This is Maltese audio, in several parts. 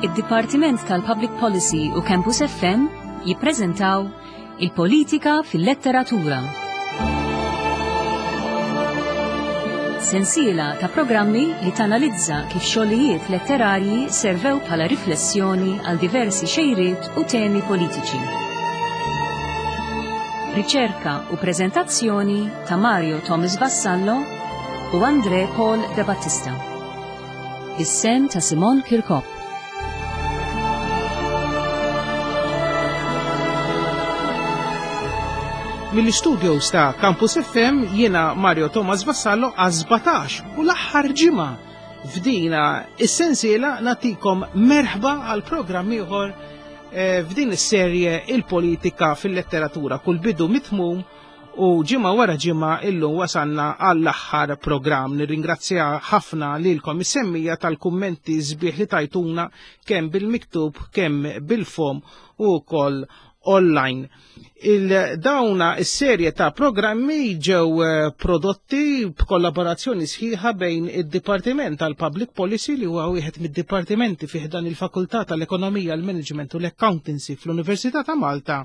Id-Dipartiment tal-Public Policy u Campus FM jippreżentaw Il-Politika fil-Letteratura. Sensiela ta' programmi li tanalizza kif xogħlijiet letterarji servew bħala riflessjoni għal diversi xejriet u temi politiċi. Riċerka u preżentazzjoni ta' Mario Thomas Vassallo u Andre Paul De Battista. Is-sem ta' Simon Kirkop. Mill-istudios ta' Campus FM jiena Mario Thomas Vassallo għal 17 u l-aħħar ġimgħa f'dina is-sensiela natikom merħba għal programm ieħor eh, f'din is-serje il-politika fil-letteratura kull bidu mitmum U ġimgħa wara ġimgħa illum wasalna għall-aħħar programm. Nirringrazzja ħafna lilkom is-semmija tal-kummenti sbieħ li tajtuna kemm bil-miktub, kemm bil-fom u wkoll online. Il-dawna is-serje ta' programmi ġew eh, prodotti b'kollaborazzjoni sħiħa bejn id-Dipartiment tal-Public Policy li huwa wieħed mid-dipartimenti fih dan il-Fakultà tal-Ekonomija, l-Management u l-Accountancy fl-Università ta' Malta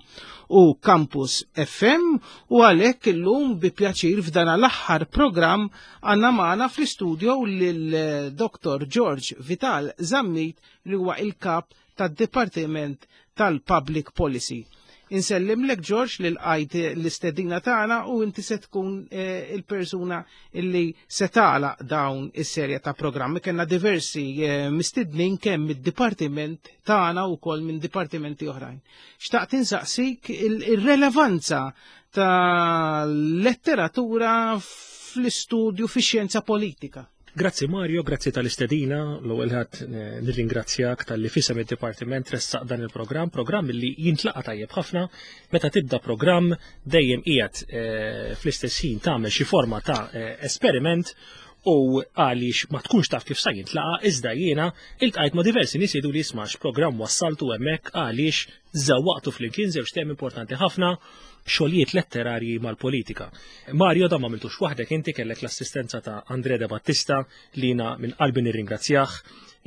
u Campus FM u għalhekk illum bi pjaċir f'dan l-aħħar programm għandna magħna fl-istudio lil eh, Dr. George Vital Zammit li huwa il-kap tad-Dipartiment tal-Public Policy. Insellimlek George li lqajt l-istedina tagħna u inti se tkun eh, il-persuna illi se tagħlaq dawn is-serje ta' programmi. Kellna diversi eh, mistednin kemm mid-dipartiment tagħna wkoll minn dipartimenti oħrajn. Xtaqt insaqsik il-relevanza ta' letteratura fl-istudju fi xjenza politika. Grazzi Mario, grazzi tal-istedina, l-ewwel ħadd eh, nirringrazzjak tal-li fisem id-dipartiment tressaq dan il-programm, programm li jintlaqa tajjeb ħafna, meta tibda programm dejjem qiegħed eh, fl-istess ħin tagħmel xi forma ta' eh, esperiment u għaliex ma tkunx taf kif sa jintlaqa iżda jiena iltqajt ma' diversi nies jgħidu li jisma' x'programm wassaltu hemmhekk għaliex żewwaqtu flimkien żewġ temi importanti ħafna xogħlijiet letterarji mal-politika. Mario dan ma għamiltux waħdek inti kellek l-assistenza ta' Andre De Battista li jiena minn qalbi nirringrazzjah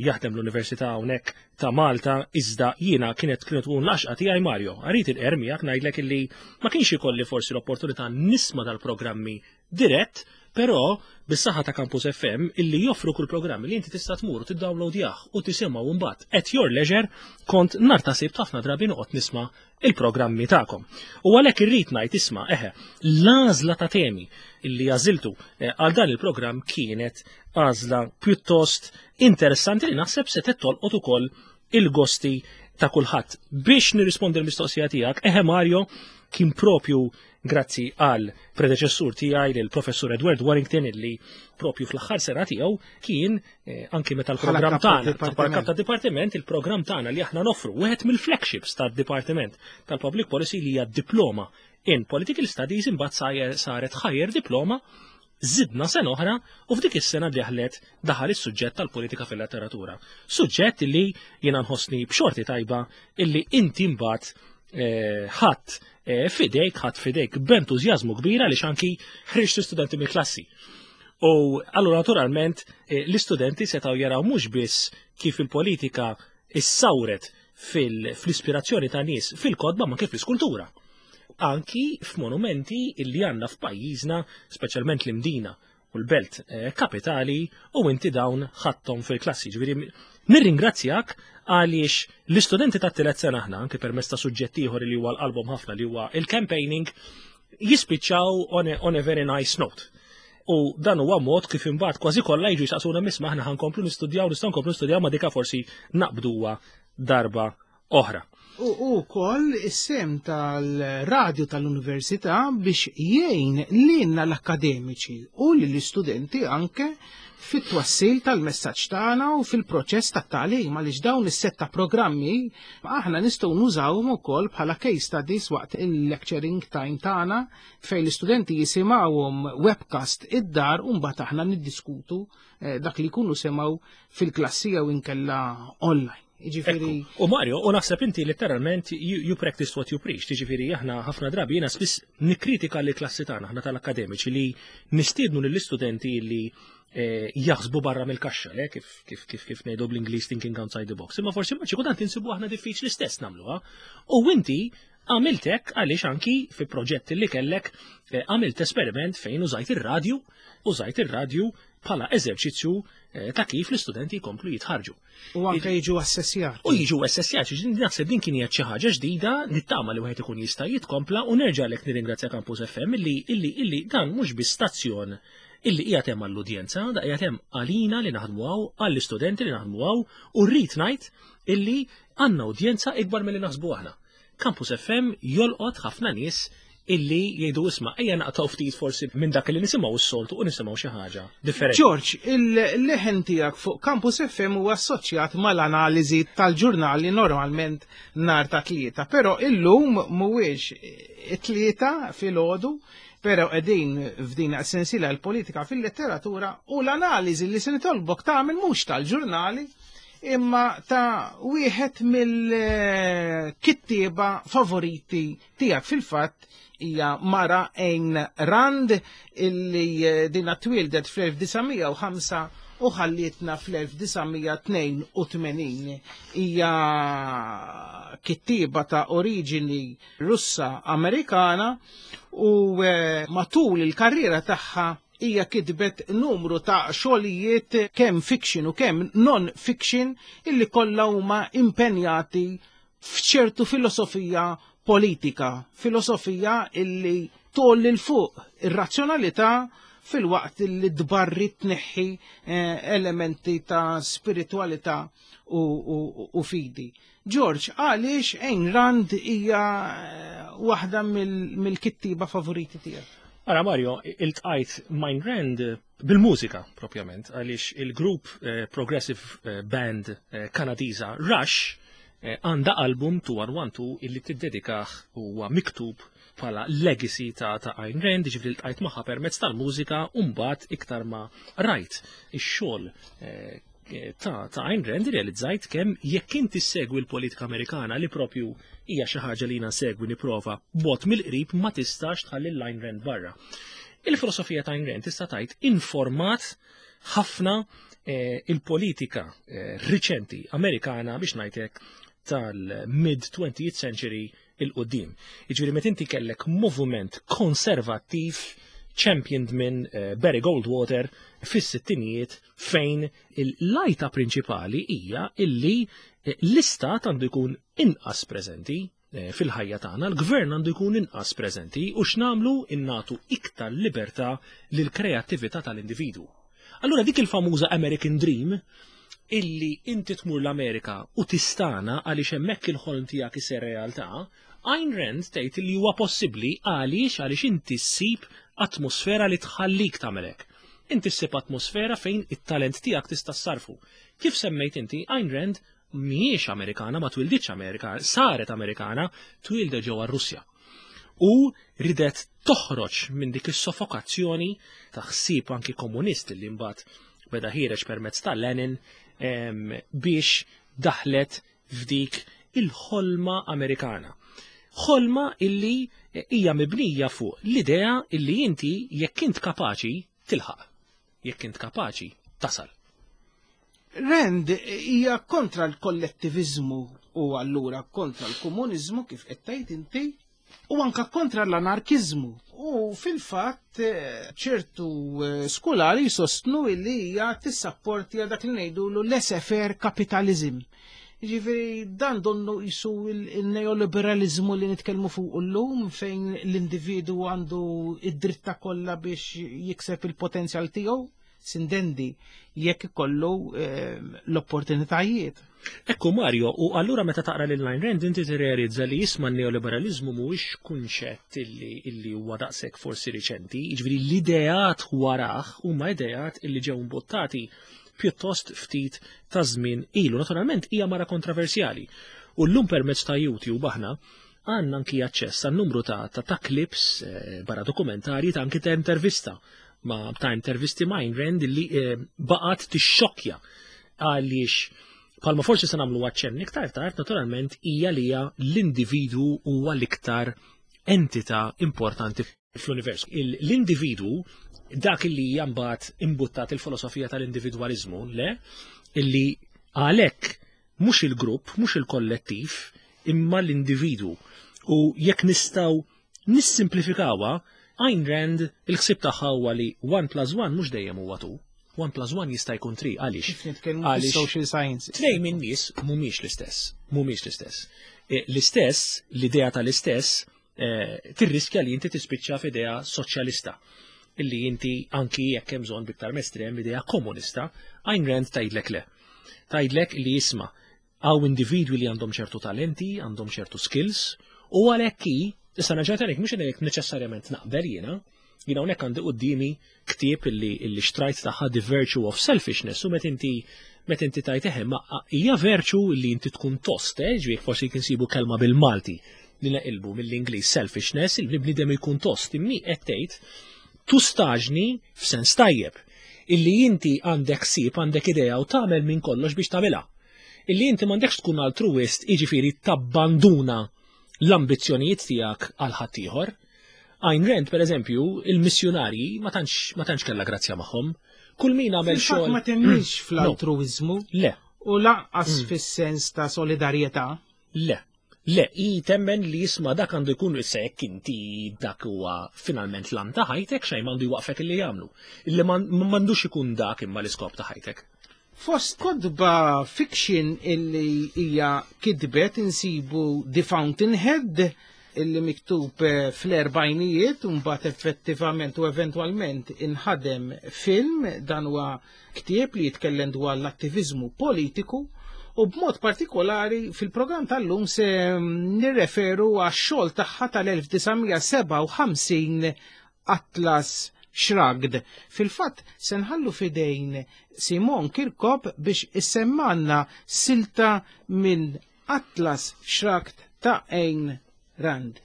jaħdem l-Università hawnhekk ta' Malta iżda jiena kienet kienet tkun l-għaxqa tiegħi Mario. Għarid il-qer miegħek ngħidlek illi ma kienx ikolli forsi l-opportunità nisma' dal-programmi dirett, però bis-saħħa ta' Campus FM illi joffru kull programm li inti tista' tmur u tiddownloadjah u tisimgħu mbagħad at your leisure kont nhar ta' sibt ħafna drabi noqgħod nisma' il-programmi tagħkom. U għalhekk irrid ngħid isma' eħe, l-għażla ta' temi illi għażiltu eh, għal dan il-programm kienet għażla pjuttost interessanti li naħseb se tolqot ukoll il-gosti ta' kulħadd. Biex nirrispondi l-mistoqsija tiegħek, eħe Mario kien propju Grazzi għal predeċessur tiegħi lil professur Edward Warrington illi propju fl-aħħar sena tiegħu kien eh, anki meta l-programm tagħna bħala kap ta' dipartiment il-programm tagħna li aħna noffru wieħed mill-flagships tad-dipartiment tal-Public Policy li hija diploma in Political Studies imbagħad saret higher diploma Zidna sena oħra u f'dik is-sena deħlet daħal is-suġġett tal-politika fil-letteratura. Suġġett li jiena nħossni b'xorti tajba illi inti mbagħad eh, ħadd eh, fidejk, ħadd fidejk b'entużjażmu kbira li anki ħriġt studenti mill-klassi. U allura naturalment eh, l-istudenti setgħu jaraw mhux biss kif il-politika issawret fil-ispirazzjoni ta' nies fil-kodba ma kif l-iskultura. Anki f'monumenti illi għandna f'pajjiżna, speċjalment l-Imdina u l-belt eh, kapitali u inti dawn ħadthom fil-klassi. Ġifieri nirringrazzjak għaliex l-istudenti tat-tielet sena aħna anke permezz ta' suġġett ieħor li huwa l-qalbhom ħafna li huwa il-campaigning jispiċċaw on a, on a very nice note. U dan huwa mod kif imbagħad kważi kollha jiġu jsaqsuna misma aħna ħankomplu nistudjaw, nistgħu nkomplu nistudjaw ma dika forsi naqbduha darba oħra. U wkoll is-sem tal-radju tal-università biex jgħin lilna l-akademiċi u lill-istudenti anke fit-twassil tal-messaġġ tagħna u fil-proċess tat-tagħlim għaliex dawn is-set ta' programmi aħna nistgħu nużawhom ukoll bħala case studies waqt il-lecturing time tagħna fejn l-istudenti jisimgħuhom webcast id-dar u mbagħad aħna niddiskutu eh, dak li jkunu semgħu fil-klassi jew inkella online. Jiġifieri U Mario, u naħseb inti letteralment you, you practice what you preach, jiġifieri aħna ħafna drabi jiena spiss nikkritika li klassi tagħna aħna tal-akademiċi li nistiednu lill-istudenti li eh, jaħsbu barra mill-kaxxa, le kif kif kif kif ngħidu bl-Ingliż thinking outside the box. Imma forsi ma xi kultant insibu aħna diffiċli stess nagħmluha. U inti għamilt hekk għaliex anki fi proġett li kellek eh, għamilt esperiment fejn użajt ir-radju, użajt ir-radju bħala eżerċizzju eh, ta' kif l-istudenti jkomplu jitħarġu. U anke jiġu assessjati. U jiġu assessjati, naħseb din kien xi ħaġa ġdida, nittama li wieħed ikun jista' jitkompla u nerġa' lek nirringrazzja Campus FM illi illi illi dan mhux biss stazzjon illi qiegħed hemm għall-udjenza, da qiegħed hemm għalina li naħdmu hawn, għall-istudenti li naħdmu hawn, u rrid ngħid illi għandna udjenza ikbar milli naħsbu aħna. Campus FM jolqot ħafna nies illi jgħidu isma' ejja naqtgħu ftit forsi minn dak li nisimgħu s-soltu u nisimgħu xi ħaġa differenti. George, il-leħen tiegħek fuq Campus FM huwa assoċjat mal-analiżi tal-ġurnali normalment nhar ta' tlieta, però illum mhuwiex it-tlieta filgħodu, però qegħdin f'din sensiela l-politika fil-letteratura u l-analiżi li se nitolbok tagħmel mhux tal-ġurnali imma ta' wieħed mill-kittieba favoriti tiegħek fil-fatt hija Mara Ayn Rand illi eh, dina twildet fl-1905 u ħallietna fl-1982. Hija kittieba ta' oriġini Russa Amerikana u eh, matul il-karriera tagħha hija kitbet numru ta' xogħlijiet kemm fiction u kemm non-fiction illi kollha huma impenjati f'ċertu filosofija politika, filosofija illi tolli l fuq ir-razzjonalità fil-waqt li tbarri tneħħi eh, elementi ta' spiritualità u, u, u fidi. George, għaliex Ayn Rand hija eh, waħda mill-kittiba favoriti tiegħek? Ara Mario, iltqajt Ayn Rand bil-mużika propjament, għaliex il-grupp eh, Progressive eh, Band Kanadiża Rush għandha album 2112 illi tiddedikah huwa miktub bħala legacy ta' ta' Ayn Rand, ġifieri ltqajt magħha permezz tal-mużika u mbagħad iktar ma rajt ix-xogħol ta' ta' Ayn Rand realizzajt kemm jekk inti segwi l-politika Amerikana li propju hija xi ħaġa li jiena segwi nipprova bot mill-qrib ma tistax tħalli l-Ayn Rand barra. Il-filosofija ta' Ayn Rand tista' tgħid informat ħafna eh, il-politika eh, riċenti Amerikana biex ngħidlek tal-mid 20th century il-qudiem. Jiġifieri meta inti kellek moviment konservattiv championed minn eh, Barry Goldwater fis-sittinijiet fejn il-lajta prinċipali hija illi eh, l-istat għandu jkun inqas preżenti eh, fil-ħajja tagħna, l-gvern għandu jkun inqas preżenti u x'nagħmlu innatu iktar libertà lil kreattività tal-individwu. Allura dik il-famuża American Dream illi inti tmur l-Amerika u tistana għaliex hemmhekk il-ħolm tiegħek isir realtà, Ayn Rand tgħid li huwa possibbli għaliex għaliex inti ssib atmosfera li tħallik tagħmel hekk. Inti ssib atmosfera fejn it-talent tiegħek tista' ssarfu. Kif semmejt inti, Ayn Rand mhijiex Amerikana, ma twilditx Amerika, saret Amerikana, twildet ġewwa Russja. U ridet toħroġ minn dik is-soffokazzjoni ta' ħsieb anki komunist li mbagħad beda ħiereġ permezz ta' Lenin biex daħlet f'dik il-ħolma Amerikana. Ħolma illi hija mibnija fuq l-idea illi inti jekk int kapaċi tilħaq, jekk int kapaċi tasal. Rand hija kontra l-kollettiviżmu u allura kontra l-komuniżmu kif qed tgħid inti u anka kontra l-anarkiżmu. U fil-fatt eh, ċertu eh, skolari jsostnu illi hija tissapporti dak li ngħidulu laissez-faire capitalism. Ġifieri dan donnu jisu il-neoliberalizmu li nitkellmu fuq llum fejn l-individu għandu id-dritta kollha biex jikseb il-potenzjal tiegħu sindendi jekk ikollu eh, l-opportunitajiet. Ekku Mario, u allura meta taqra lil Ayn Rand inti tirrealizza li jisma' n-neoliberalizmu mhuwiex kunċett illi illi huwa daqshekk forsi riċenti, jiġifieri l-ideat warah huma ideat illi ġew imbuttati pjuttost ftit ta' żmien ilu. Naturalment hija mara kontroversjali. U llum permezz ta' YouTube aħna għandna anki aċċess għal numru ta' ta', ta' clips eh, barra dokumentarji ta' anki ta' intervista ma ta' intervisti ma' Ayn Rand li eh, baqgħet tixxokkja għaliex palma forsi se nagħmlu aċċenn iktar tard, naturalment hija li hija l-individwu huwa l-iktar entità importanti fl-univers. L-individwu Dak illi hija mbagħad imbuttat il-filosofija tal-individwaliżmu, le, illi għalhekk mhux il-grupp, mhux il-kollettiv, imma l-individwu. U jekk nistgħu nissimplifikawha, Ayn Rand il-ħsieb tagħha huwa li 1 plus 1 mhux dejjem huwa 2. 1 plus 1 jista' jkun 3 għaliex? Kif nitkellmu social science. Tnej minn nies mhumiex l-istess, mhumiex l-istess. E, l-istess, l-idea tal-istess, e, tirriskja li inti tispiċċa f'idea soċjalista illi inti anki jekk hemm bżonn biktar estrem idea komunista, Ayn Rand tgħidlek le. Tgħidlek li jisma' hawn individwi li għandhom ċertu talenti, għandhom ċertu skills, u għalhekk hi, issa nerġa' ngħidlek mhux ngħidlek neċessarjament naqbel jiena, jiena hawnhekk għandi quddiemi ktieb illi illi xtrajt tagħha The Virtue of Selfishness u met inti met inti tajt eħe ma hija virtue illi inti tkun tost, eh, ġifieri forsi kinsibu kelma bil-Malti li naqilbu mill-Ingliż selfishness, il-bniedem ikun tost, immi qed tgħid tustaġni f'sens tajjeb illi inti għandek ħsieb, għandek idea u tagħmel minn kollox biex tagħmilha. Illi inti m'għandekx tkun altruist, jiġifieri tabbanduna l-ambizzjonijiet tiegħek għal ħaddieħor. Ayn Rand, per eżempju, il-missjunarji ma tantx ma tantx kellha grazzja magħhom. Kull min għamel xogħol. Ma temminx fl-altruiżmu. Le. U lanqas mm. fis-sens ta' solidarjetà. Le. Le, hi temmen li jisma' dak għandu jkun issa jekk inti dak huwa finalment l-għan ta' ħajtek xejn m'għandu jwaqfek illi jagħmlu. Illi m'għandux ikun dak imma l-iskop ta' ħajtek. Fost kotba fiction illi hija kitbet insibu The Fountainhead illi miktub eh, fl-erbajnijiet u mbagħad effettivament u eventwalment inħadem film dan huwa Ktieb li jitkellem dwar l-attiviżmu politiku u b'mod partikolari fil-programm tal-lum se nirreferu għax-xogħol tagħha tal-1957 Atlas Shrugged. Fil-fatt se nħallu fidejn Simon Kirkop biex issemmanna silta minn Atlas Shrugged ta' Ayn Rand.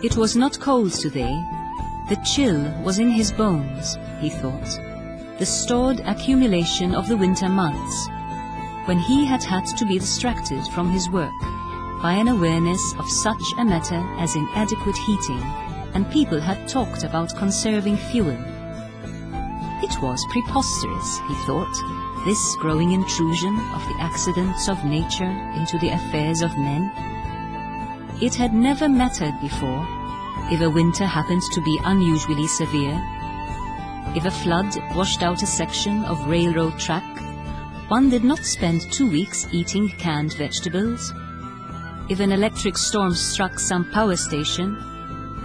It was not cold today. The chill was in his bones, he thought, the stored accumulation of the winter months, when he had had to be distracted from his work by an awareness of such a matter as inadequate heating, and people had talked about conserving fuel. It was preposterous, he thought, this growing intrusion of the accidents of nature into the affairs of men. It had never mattered before if a winter happened to be unusually severe, if a flood washed out a section of railroad track, one did not spend two weeks eating canned vegetables. If an electric storm struck some power station,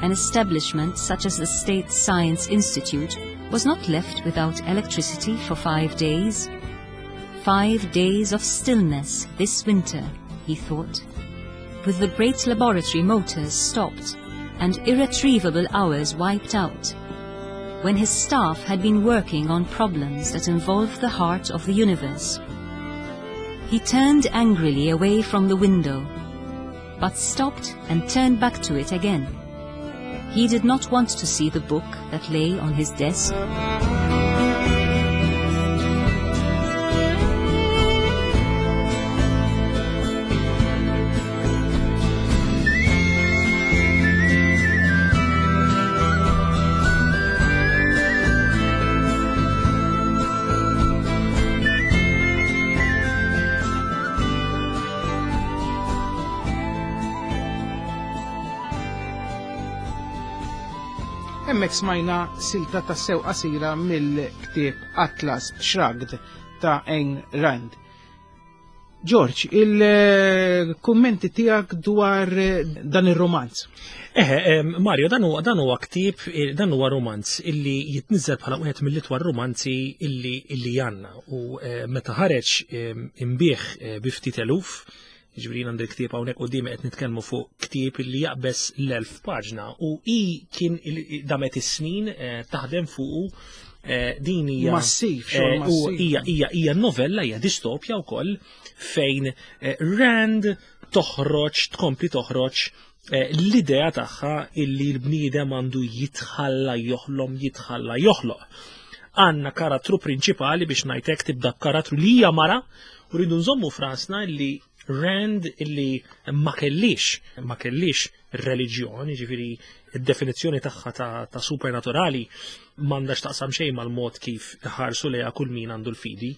an establishment such as the State Science Institute was not left without electricity for five days. Five days of stillness this winter, he thought, with the great laboratory motors stopped and irretrievable hours wiped out, when his staff had been working on problems that involved the heart of the universe. He turned angrily away from the window, but stopped and turned back to it again. He did not want to see the book that lay on his desk. Hemmhekk smajna silta ta' sew qasira mill-ktieb Atlas Shrugged ta' Ayn Rand. George, il-kummenti tiegħek dwar eh, dan ir-romanz. Eħe, Mario, dan huwa dan huwa ktieb, eh, dan huwa romanz illi jitniżel bħala wieħed mill-itwal romanzi illi illi għandna u eh, meta ħareġ imbieħ bi ftit eluf, Ġifieri għandi ktieb hawnhekk qudiemi qed nitkellmu fuq ktieb li jaqbeż l-elf paġna u i kien damet is-snin eh, taħdem fuqu eh, din hija massiv, xogħol eh, u hija hija hija novella hija distopja wkoll fejn Rand toħroġ tkompli toħroġ L-idea tagħha illi l-bniedem għandu jitħalla joħlom, jitħalla joħloq. Għandna karattru prinċipali biex ngħidlek tibda b'karattru li hija mara u rridu nżommu frasna illi Rand illi ma kellix, ma kellix reliġjon, ġifieri id-definizzjoni tagħha ta', ta supernaturali m'għandax taqsam xejn mal-mod kif ħarsu lejha kull min għandu l-fidi.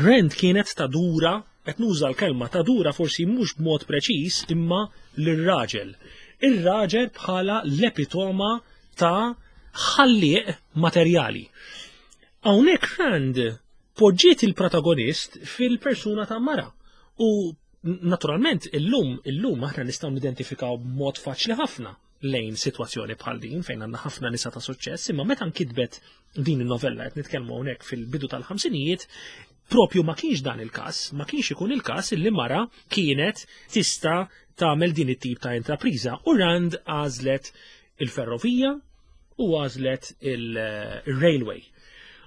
Rand kienet tadura, qed nuża l-kelma tadura forsi mhux b'mod preċiż imma lir-raġel. Ir-raġel bħala l-epitoma ta' ħallieq materjali. Hawnhekk Rand poġġiet il-protagonist fil-persuna ta' mara. U naturalment illum illum aħna nistgħu nidentifikaw b'mod faċli ħafna lejn sitwazzjoni bħal din fejn għandna ħafna nisa ta' suċċess, imma meta nkitbet din in-novella qed nitkellmu hawnhekk fil-bidu tal-ħamsinijiet, propju ma kienx dan il-każ, ma kienx ikun il-każ illi mara kienet tista' tagħmel din it-tip ta' intrapriża u Rand għażlet il-ferrovija u għażlet il-railway.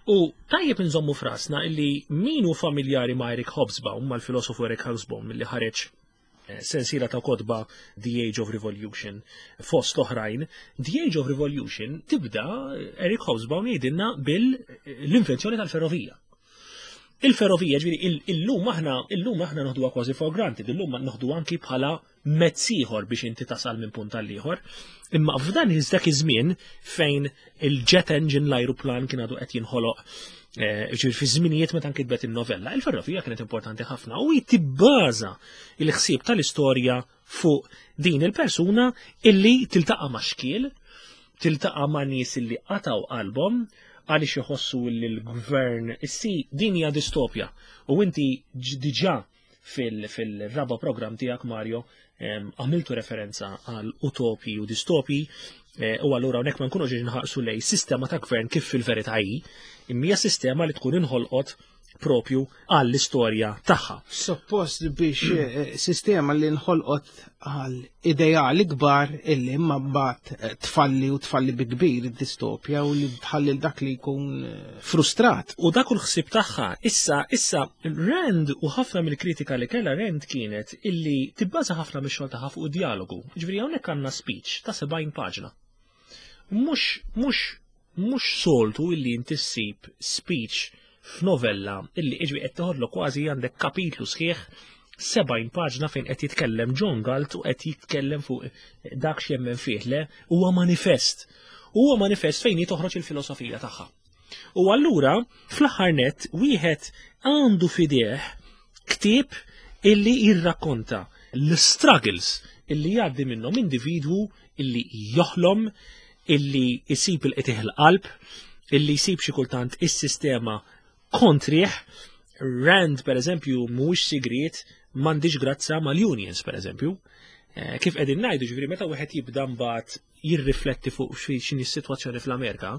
U tajjeb nżommu frasna illi min hu familjari ma' Eric Hobsbawm, mal-filosofu Eric Hobsbawm illi ħareġ sensiela ta' kotba The Age of Revolution fost oħrajn, The Age of Revolution tibda Eric Hobsbawm jgħidilna bil-invenzjoni tal-ferrovija. Il-ferrovija, ġifieri, illum aħna illum aħna noħduha kważi for granted, illum noħdu anki bħala mezz ieħor biex inti tasal minn punt għal ieħor. Imma f'dan dak iż-żmien fejn il-jet engine l-ajruplan kien għadu qed jinħoloq ġifieri fi żminijiet meta nkitbet in-novella, il-ferrovija kienet importanti ħafna u tibbaża il-ħsieb tal-istorja fuq din il-persuna illi tiltaqa' ma' xkiel, tiltaqa' ma' nies illi qataw qalbhom għaliex iħossu li l-gvern issi din hija distopja u inti diġà fil-raba program tiegħek Mario għamiltu referenza għal utopi u distopi u allura hawnhekk ma nkunux nħarsu lej sistema ta' gvern kif fil-verità hi, imma hija sistema li tkun inħolqot propju għall-istorja tagħha. Suppost biex sistema li nħolqot għal ideali kbar illi imma mbagħad tfalli u tfalli bi kbir id-distopja u li tħalli dak li jkun frustrat. U dak l-ħsieb tagħha, issa issa Rand u ħafna mill-kritika li kellha Rand kienet illi tibbaża ħafna mix-xogħol tagħha fuq id-dialogu. Ġifieri hawnhekk għandna speech ta' 70 paġna. Mhux mhux mhux soltu illi inti ssib speech f'novella illi iġbi qed toħodlok kważi għandek kapitlu sħiħ 70 paġna fejn qed jitkellem John Galt u qed jitkellem fuq dak x'jemmen fih le huwa manifest. Huwa manifest fejn toħroġ il-filosofija tagħha. U allura fl-aħħar nett wieħed għandu fideh ktieb illi jirrakkonta l-struggles illi jgħaddi minnhom individwu illi joħlom, illi jsib il-qtih il-qalb, illi jsib xi kultant is-sistema kontrih. Rand, per eżempju, mhuwiex sigriet m'għandix grazza mal-unions, per eżempju. Kif qegħdin ngħidu, ġifieri meta wieħed jibda mbagħad jirrifletti fuq x'inhi s-sitwazzjoni fl-Amerika,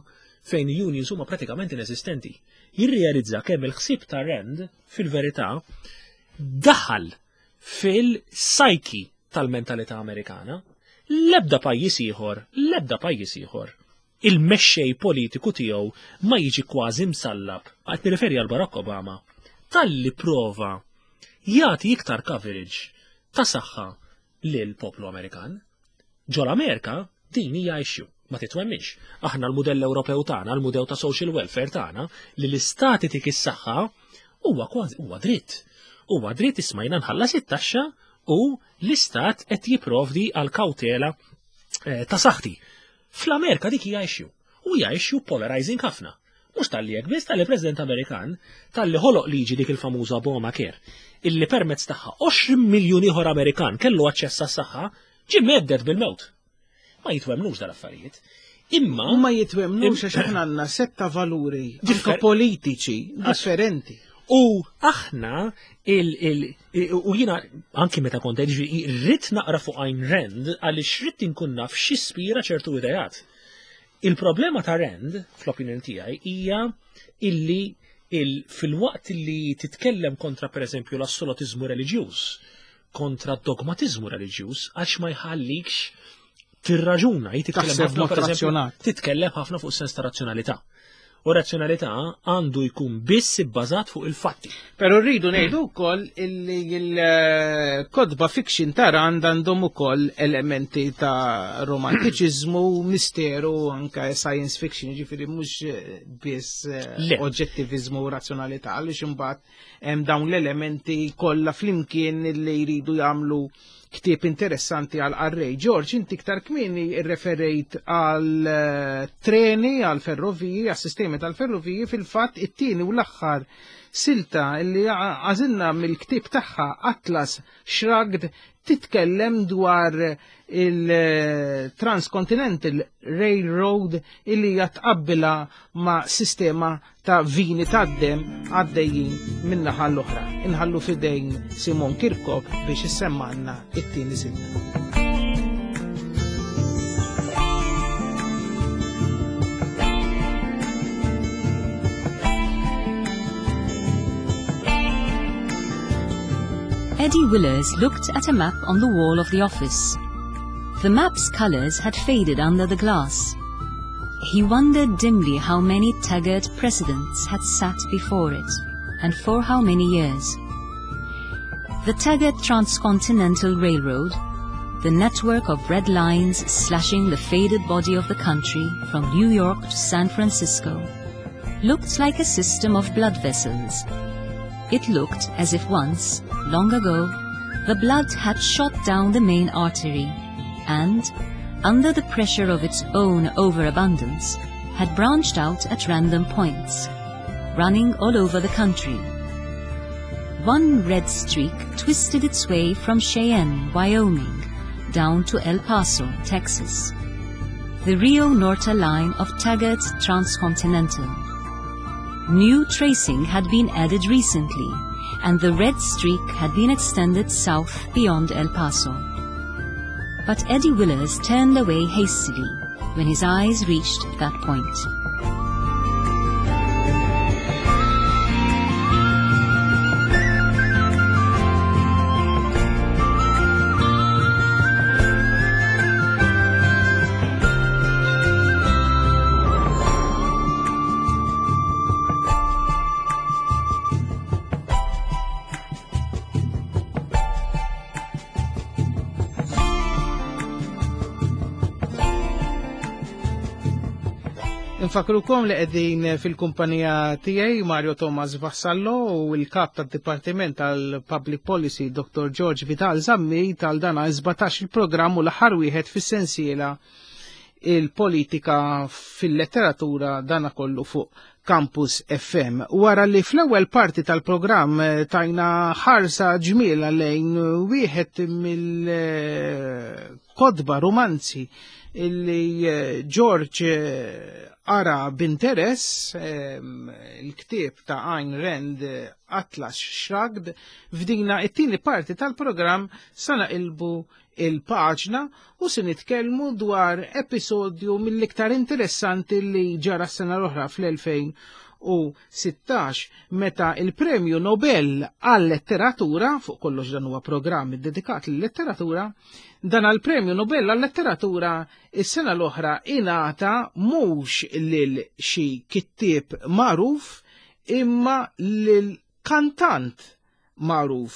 fejn unions huma pratikament inesistenti. Jirrealizza kemm il-ħsieb ta' Rand fil-verità daħal fil-psyche tal-mentalità Amerikana. L-ebda pajjiż ieħor, l-ebda pajjiż ieħor, il-mexxej politiku tiegħu ma jiġi kważi msallab, qed nirreferi għal Barack Obama, talli prova jagħti iktar coverage ta' saħħa lil poplu Amerikan. Ġol Amerika din hija issue, ma titwemminx. Aħna l-mudell Ewropew tagħna, l-mudell ta' social welfare tagħna, li l-istat itik is-saħħa huwa kważi huwa dritt. Huwa dritt ismajna nħallas it-taxxa u l-istat qed jipprovdi għal kawtela ta' saħħti. Fl-Amerika dik hija issue. U hija issue polarizing ħafna. Mhux talli hekk biss, talli President Amerikan talli ħoloq liġi dik il-famuża Obamacare illi permezz tagħha 20 miljun ieħor Amerikan kellu aċċess għas-saħħa ġie mhedded bil-mewt. Ma jitwemnux dal-affarijiet. Imma ma jitwemnux għax aħna għandna setta valuri anke politiċi differenti. U aħna u jiena anki meta kont ġifieri rrid naqra fuq Ayn Rand għaliex rrid inkun naf x'ispira ċertu ideat. Il-problema ta' Rand, fl-opinjoni tiegħi, hija illi fil-waqt li titkellem kontra pereżempju l-assolutizmu reliġjuż, kontra dogmatizmu reliġjuż, għax ma jħallikx tirraġuna, hi titkellem Taħseb ħafna, mod per eżempju, razzjonat. titkellem ħafna fuq sens ta' razzjonalità. U razzjonalità għandu jkun biss ibbażat fuq il-fatti. Però rridu ngħidu wkoll illi l-kodba fiction ta' Rand għandhom ukoll elementi ta' romantiċiżmu, misteru, anke science fiction, ġifieri mhux biss eh, oġġettiviżmu u razzjonalità għaliex imbagħad hemm dawn l-elementi kollha flimkien li jridu jagħmlu ktieb interessanti għal qarrej. George, inti iktar kmieni rreferejt għal eh, treni, għal ferroviji, għal sistemi tal-ferroviji, fil-fatt it-tieni u l-aħħar silta li għażilna mill-ktieb tagħha Atlas Shrugged titkellem dwar il-Transcontinental Railroad illi hija tqabbilha ma' sistema ta' vini tad-demm għaddejjin min-naħa l-oħra. Inħallu f'idejn Simon Kirkop biex issemmanna it-tieni silta. Eddie Willers looked at a map on the wall of the office. The map's colors had faded under the glass. He wondered dimly how many Taggart presidents had sat before it, and for how many years. The Taggart Transcontinental Railroad, the network of red lines slashing the faded body of the country from New York to San Francisco, looked like a system of blood vessels. It looked as if once, long ago, the blood had shot down the main artery and, under the pressure of its own overabundance, had branched out at random points, running all over the country. One red streak twisted its way from Cheyenne, Wyoming, down to El Paso, Texas. The Rio Norte line of Taggart's Transcontinental. New tracing had been added recently, and the red streak had been extended south beyond El Paso. But Eddie Willers turned away hastily when his eyes reached that point. Infakrukom li qegħdin fil-kumpanija tiegħi Mario Thomas Vassallo u l-kap tad-Dipartiment tal-Public Policy Dr. George Vital Zammi tal-dana 17 il-programm u l-aħħar wieħed fis-sensiela il-politika fil-letteratura dana kollu fuq Campus FM. Wara li fl-ewwel parti tal-programm eh, tajna ħarsa ġmiela lejn wieħed mill-kodba romanzi illi eh, George eh, ara b'interess il-ktieb ta' Ayn Rand Atlas Shrugged f'dina it-tieni parti tal-programm sa naqilbu il-paġna u se nitkellmu dwar episodju mill-iktar interessanti li ġara s-sena l-oħra fl-2016 meta il-Premju Nobel għal-letteratura, fuq kollox dan huwa programm iddedikat lill-letteratura, dan għal-Premju Nobel għal-letteratura is-sena l-oħra ingħata mhux lil xi kittieb magħruf imma lil kantant magħruf,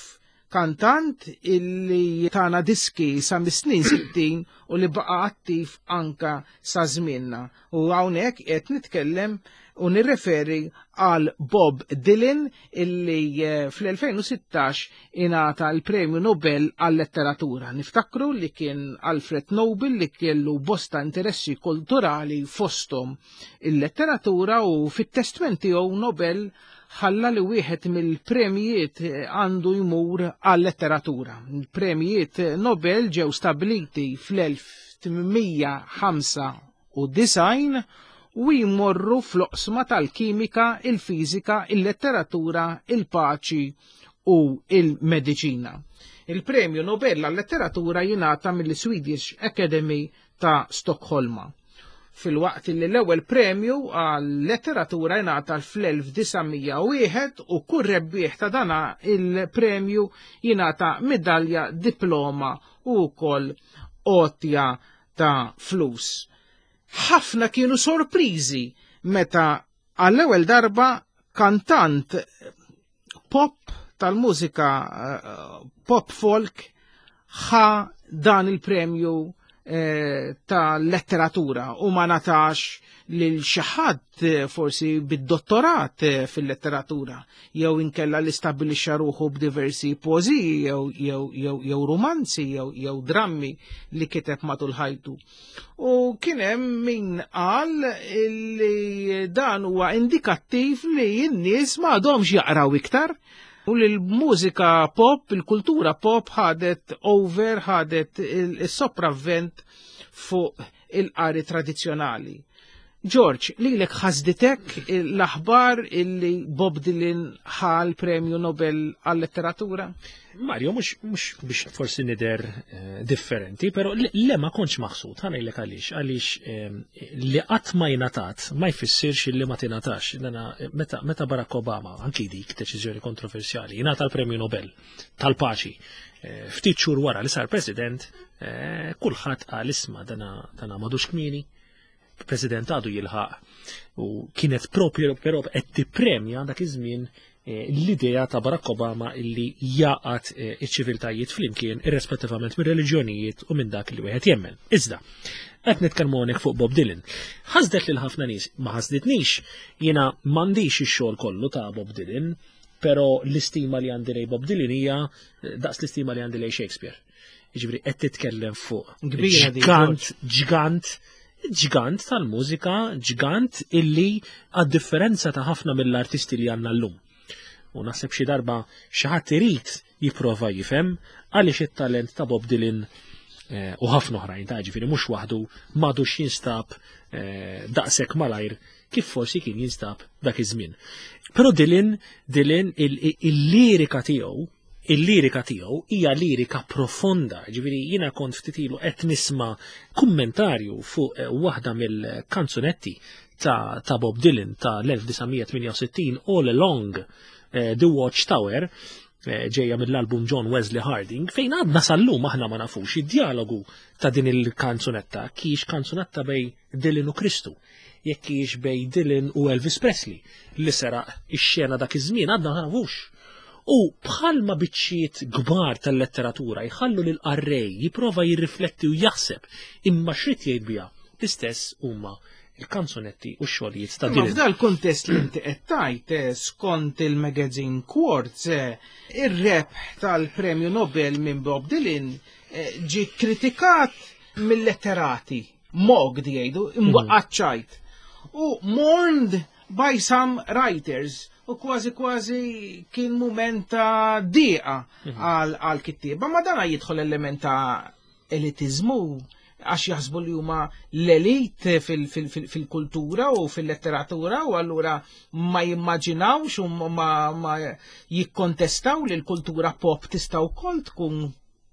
kantant illi tana diski sa mis-snin 60 u li baqa' attiv anka sa żmienna. U hawnhekk qed nitkellem u nirreferi għal Bob Dylan illi eh, fl-2016 ingħata l-Premju Nobel għal-Letteratura. Niftakru li kien Alfred Nobel li kellu bosta interessi kulturali fosthom il-letteratura u fit-testment tiegħu Nobel ħalla li wieħed mill-premjijiet għandu jmur għal-letteratura. Il-premjijiet Nobel ġew stabiliti fl-1895 u jmorru fl-oqsma tal-kimika, il-fiżika, il-letteratura, il-paċi u il-mediċina. Il-Premju Nobel għal-Letteratura jingħata mill-Swedish Academy ta' Stokholma. Filwaqt li l-ewwel premju għal-letteratura jingħata fl-1901 u kull rebbieħ ta' dana il-premju jingħata midalja, diploma u wkoll għotja ta' flus. Ħafna kienu sorpriżi meta Għall-ewwel darba kantant pop tal-mużika eh, pop folk ħa dan il-premju eh, ta' letteratura u ma natax lil xi ħadd eh, forsi bid-dottorat eh, fil-letteratura jew inkella li stabbilixxa ruħu b'diversi poeżiji jew jew jew jew rumanzi jew jew drammi li kiteb matul ħajtu. U kien hemm min qal li dan huwa indikattiv li n-nies m'għadhomx jaqraw iktar u li l-mużika pop, il-kultura pop ħadet over, ħadet il-sopravvent fuq il-qari tradizzjonali. George, lilek ħasditek l-aħbar illi Bob Dylan ħa l-Premju Nobel għal-letteratura? Mario, mhux biex forsi nidher eh, differenti, però le ma kontx maħsud, ħa ngħidlek għaliex, għaliex eh, li qatt ma jingħatat ma jfissirx li ma tingħatax. Eh, meta, meta Barack Obama, anki dik deċiżjoni kontroversjali, jingħata l-Premju Nobel tal-paċi, ftit xhur wara li sar president, kulħadd qal isma' dana dana madux kmieni, president għadu jilħaq u kienet propju però qed tippremja dak iż-żmien eh, l-idea ta' Barack Obama illi jaqat eh, iċ-ċiviltajiet flimkien irrispettivament mir reliġjonijiet u minn dak li wieħed jemmen. Iżda, qed nitkellmu hawnhekk fuq Bob Dylan. Ħasdet lil ħafna nies, ma ħasditnix, jiena m'għandix ix-xogħol kollu ta' Bob Dylan, però l-istima li għandi lej Bob Dylan hija eh, daqs l-istima li għandi lej Shakespeare. Jiġifieri qed titkellem fuq ġgant, ġgant, ġgant tal-mużika, ġgant illi għad-differenza ta' ħafna mill-artisti li għandna llum. U naħseb xi darba xi ħadd irid jipprova jifhem għaliex it-talent ta' Bob Dylan eh, u ħafna oħrajn ta' ġifieri mhux waħdu m'għadux jinstab eh, daqshekk malajr kif forsi kien jinstab dak iż-żmien. Però Dylan, Dylan il-lirika tiegħu Il-lirika tiegħu hija lirika profonda, ġifieri jiena kont ftit ilu qed nisma' kummentarju fuq eh, waħda mill-kanzunetti ta', ta Bob Dylan ta' l-1968 All Along eh, The Watchtower eh, ġejja mill-album John Wesley Harding, fejn għadna sal-lum aħna ma nafux id-dialogu ta' din il-kanzunetta, kiex kanzunetta bej Dylan u Kristu, jekk kiex bej Dylan u Elvis Presley li seraq ix-xena dak iż-żmien għadna ma nafux. U bħalma biċċiet kbar tal-letteratura jħallu lill-qarrej jipprova jirrifletti u jaħseb imma x'ried jgħid biha, l-istess huma l-kanzunetti u x-xogħlijiet ta' Dylan. F'dal kuntest li inti qed tgħid, eh, skont il-magazine Quartz, eh, ir-rebħ tal-Premju Nobel minn Bob Dylan eh, ġie kritikat mill-letterati, mocked jgħidu, imwaqqat ċajt. U mourned by some writers u kważi kważi kien mument ta' diqa mhm. għal kittieba, ma dana jidħol element ta' elitizmu għax jaħsbu li huma l-elit fil-kultura u fil-letteratura u allura ma jimmaġinawx u ma jikkontestaw li l-kultura pop tista' wkoll tkun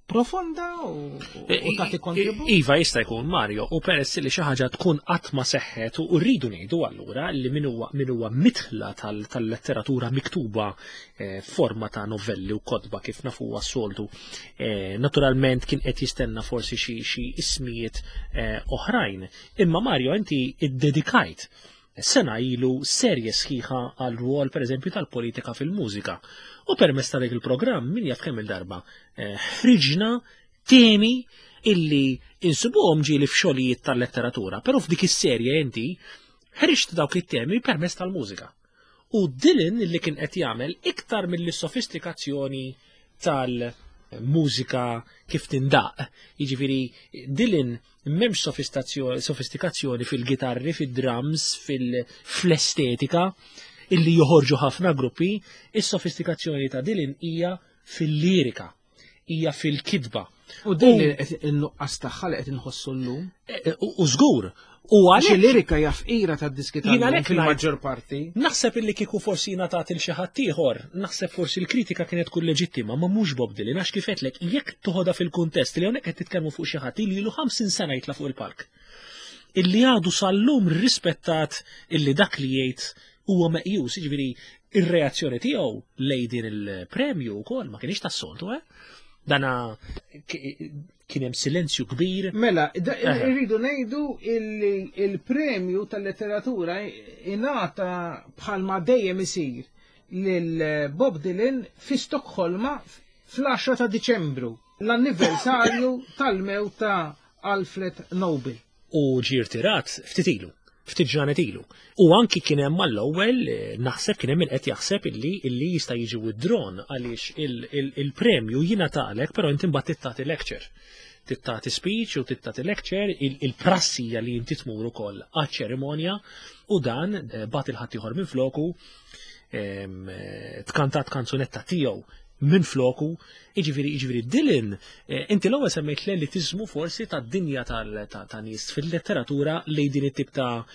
profonda u e, tagħti kontribut. Iva jista' jkun Mario u peress li xi ħaġa tkun qatt ma seħħet u rridu ngħidu allura li min huwa min huwa mitħla tal-letteratura miktuba eh, forma ta' novelli u kotba kif nafu s-soltu. Eh, naturalment kien qed jistenna forsi xi ismijiet eh, oħrajn. Imma Mario inti iddedikajt sena ilu serje sħiħa għal rwol pereżempju tal-politika fil-mużika. U permezz ta' dik il-programm min jaf kemm il-darba eh, ħriġna temi illi insibuhom ġieli f'xogħlijiet tal-letteratura, però f'dik is-serje inti ħriġt dawk it-temi permezz tal-mużika. U Dylan li kien qed jagħmel iktar mill-sofistikazzjoni tal-mużika kif tindaq. Jiġifieri Dylan m'hemmx sofistikazzjoni fil-gitarri, fid-drums, fl-estetika illi joħorġu ħafna gruppi, is-sofistikazzjoni ta' Dylan hija fil-lirika, hija fil-kitba. U din il-nuqqas tagħha li qed inħossu llum. E, e, u żgur, U għalhekk il-lirika hija fqira tad-diski tal fil-maġġor parti. Naħseb illi kieku forsi ngħatat il xi ħadd ieħor, naħseb forsi l-kritika kienet tkun leġittima, ma mhux Bob Dylan għax kif għedtlek jekk toħodha fil-kuntest li hawnhekk qed titkellmu fuq xi ħadd li ilu 50 sena jitla' fuq il-palk. Illi għadu sal-lum rispettat illi dak li jgħid huwa meqjus, jiġifieri ir-reazzjoni tiegħu lejn din il-premju wkoll ma kienx tas-soltu, eh? Dana kien hemm silenzju kbir. Mela, irridu ngħidu illi il-premju tal-letteratura ingħata bħalma dejjem isir lil Bob Dylan fi Stokholma fl-10 ta' Diċembru, l-anniversarju tal-mewt ta' Alfred Nobel. U ġie rtirat ftit ilu, ftit ġranet ilu. U anki kien hemm mal-ewwel naħseb kien hemm min qed jaħseb illi illi jista' jiġi withdrawn għaliex il-premju jingħatalek però inti mbagħad trid tagħti lecture. Trid tagħti speech u trid tagħti lecture, il-prassi hija li inti tmur ukoll għaċ-ċerimonja u dan bagħat 'il ħaddieħor minn floku, tkantat kanzunetta tiegħu minn floku, jiġifieri Dylan, inti l-ewwel semmejt l-elitiżmu forsi tad-dinja ta' nies fil-letteratura lejn din it-tip ta'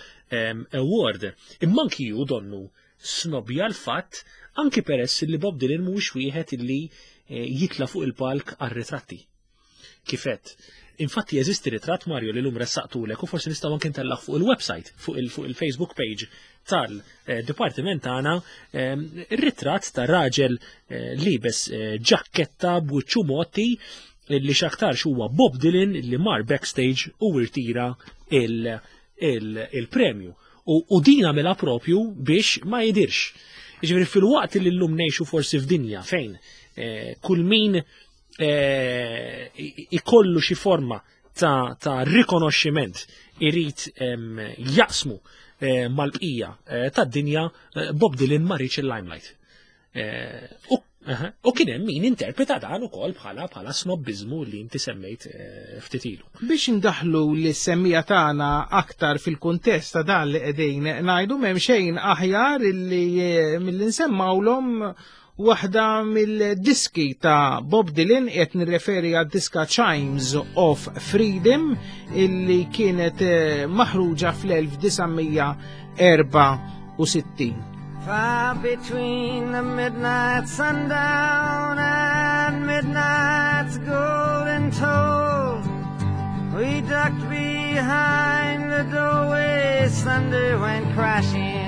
award. Imma anki hu donnu snobja l-fatt anki peress li Bob Dylan mhuwiex wieħed illi jitla' fuq il-palk għar-ritratti. Kifet. Infatti jeżisti ritratt, Mario, li l-lum ressaqtulek u forsi nistgħu anke ntellgħu fuq il-website, fuq il-Facebook page tal-dipartiment tagħna, ir-ritratt ta' raġel liebes ġakketta b'wiċċu mgħotti li x'aktarx huwa Bob Dylan li mar backstage u irtira il-premju. U din għamilha propju biex ma jidirx. Jiġifieri fil-waqt li llum ngħixu forsi f'dinja fejn kull min ikollu xi forma ta' rikonoxximent irid jaqsmu mal-bqija tad-dinja, Bob Dylan ma riedx il-limelight. U kien hemm min interpreta dan ukoll bħala snobbiżmu li inti semmejt ftit ilu. Biex indaħlu lis-semmiegħa tagħna aktar fil-kuntest ta' dan li qegħdin ngħidu, m'hemm xejn aħjar illi milli nsemmawlhom waħda mill-diski ta' Bob Dylan, qed nirreferi għad-diska Chimes of Freedom illi kienet maħruġa fl-1964. Far between the midnight sundown and midnight's golden toll, we ducked behind the doorway, thunder went crashing.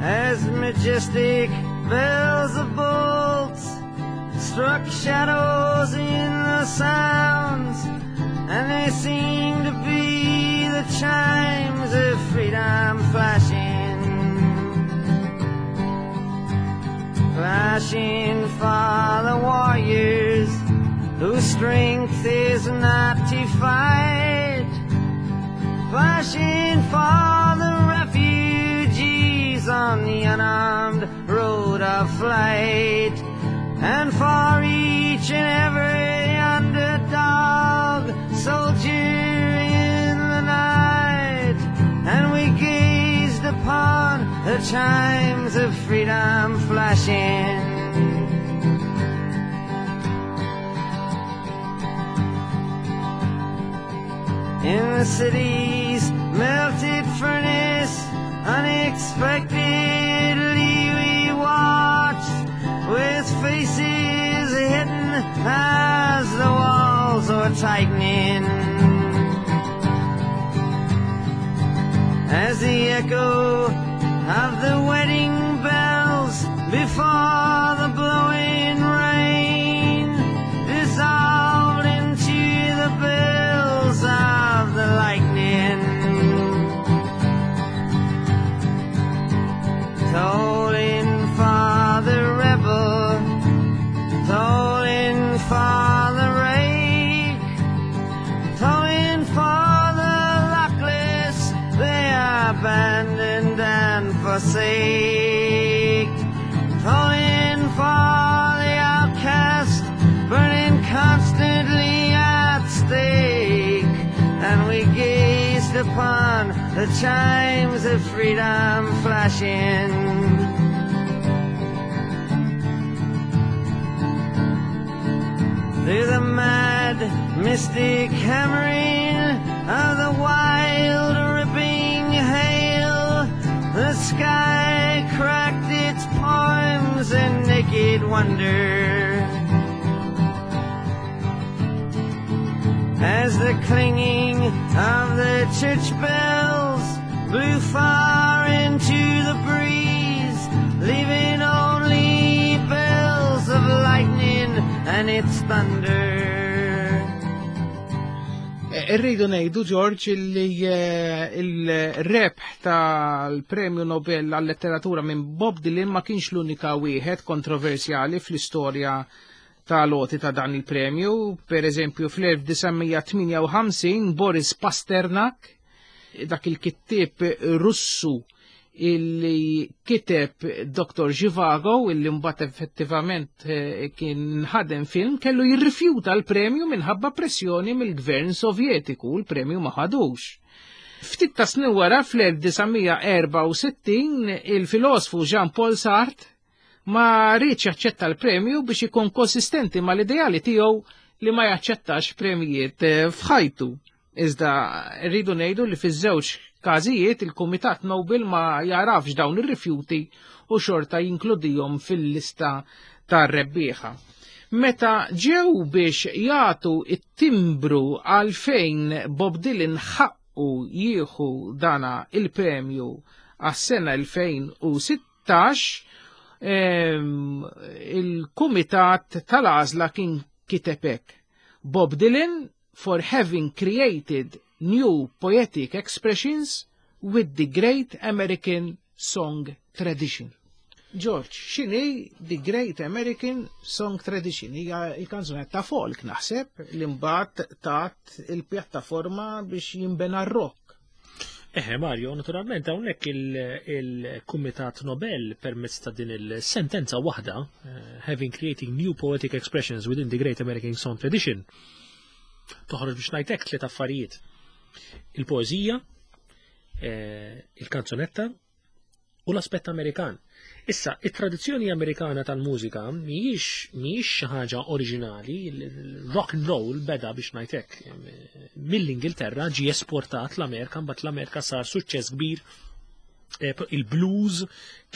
As majestic bells of bolts struck shadows in the sounds, and they seemed to be the chimes of freedom flashing, flashing for the warriors whose strength is not to fight, flashing for the refugees on the unarmed road of flight, and for each and every underdog soldier in the night. And we gazed upon the chimes of freedom flashing. In the city's melted furnace, unexpectedly we watched, with faces hidden as the walls were tightening, as the echo of the wedding bells before the blowing rain dissolved into the bells of the lightning. Tolling for the rebel, tolling for the rake, tolling for the luckless, they abandoned and forsake, tolling for the outcast, burning constantly at stake. And we gazed upon the chimes of freedom flashing. Through the mad mystic hammering of the wild ripping hail, the sky cracked its poems in naked wonder, as the clanging of the church bells blew far into the breeze, leaving only its thunder. Eh, irridu ngħidu George li eh, il-rebħ tal-Premju Nobel għal-letteratura minn Bob Dylan ma kienx l-unika wieħed kontroversjali fl-istorja tal-għoti ta' dan il-premju. Per eżempju, fl-1958 Boris Pasternak, dak il-kittieb Russu illi kiteb Dr. Zhivago, illi mbagħad effettivament eh, kien ħadem film, kellu jirrifjuta l-premju minħabba pressjoni mill-gvern Sovjetiku, l-premju ma ħadux. Ftit ta' snin wara fl-1964 il-filosfu Jean-Paul Sartre ma riedx jaċċetta l-premju biex ikun konsistenti mal-ideali tiegħu li ma jaċċettax premjiet eh, f'ħajtu. Iżda rridu ngħidu li fiż-żewġ każijiet il-Kumitat Nobel ma jarafx dawn ir-rifjuti u xorta jinkludihom fil-lista tar-rebbieħa. Meta ġew biex jagħtu it-timbru għalfejn Bob Dylan ħaqqu jieħu dana il-premju għas-sena 2016, il-Kumitat tal-Għażla kien kiteb hekk. Bob Dylan for having created new poetic expressions with the great American song tradition. George, x'inhi the Great American Song Tradition? Hija il-kanzunetta folk naħseb li mbagħad tat il-pjattaforma biex jinbena r-rock. Eħe Mario, naturalment hawnhekk il-Kumitat Nobel permezz ta' din il-sentenza waħda, eh, having creating new poetic expressions within the Great American Song Tradition, toħroġ biex ngħidlek tliet affarijiet. Il-poeżija, eh, il-kanzunetta u l-aspett Amerikan. Issa, it-tradizzjoni Amerikana tal-mużika mhijiex mhijiex xi ħaġa oriġinali, rock and roll beda biex ngħidlek mill-Ingilterra ġie esportat l-Amerika, mbagħad l-Amerika sar suċċess kbir eh, il-blues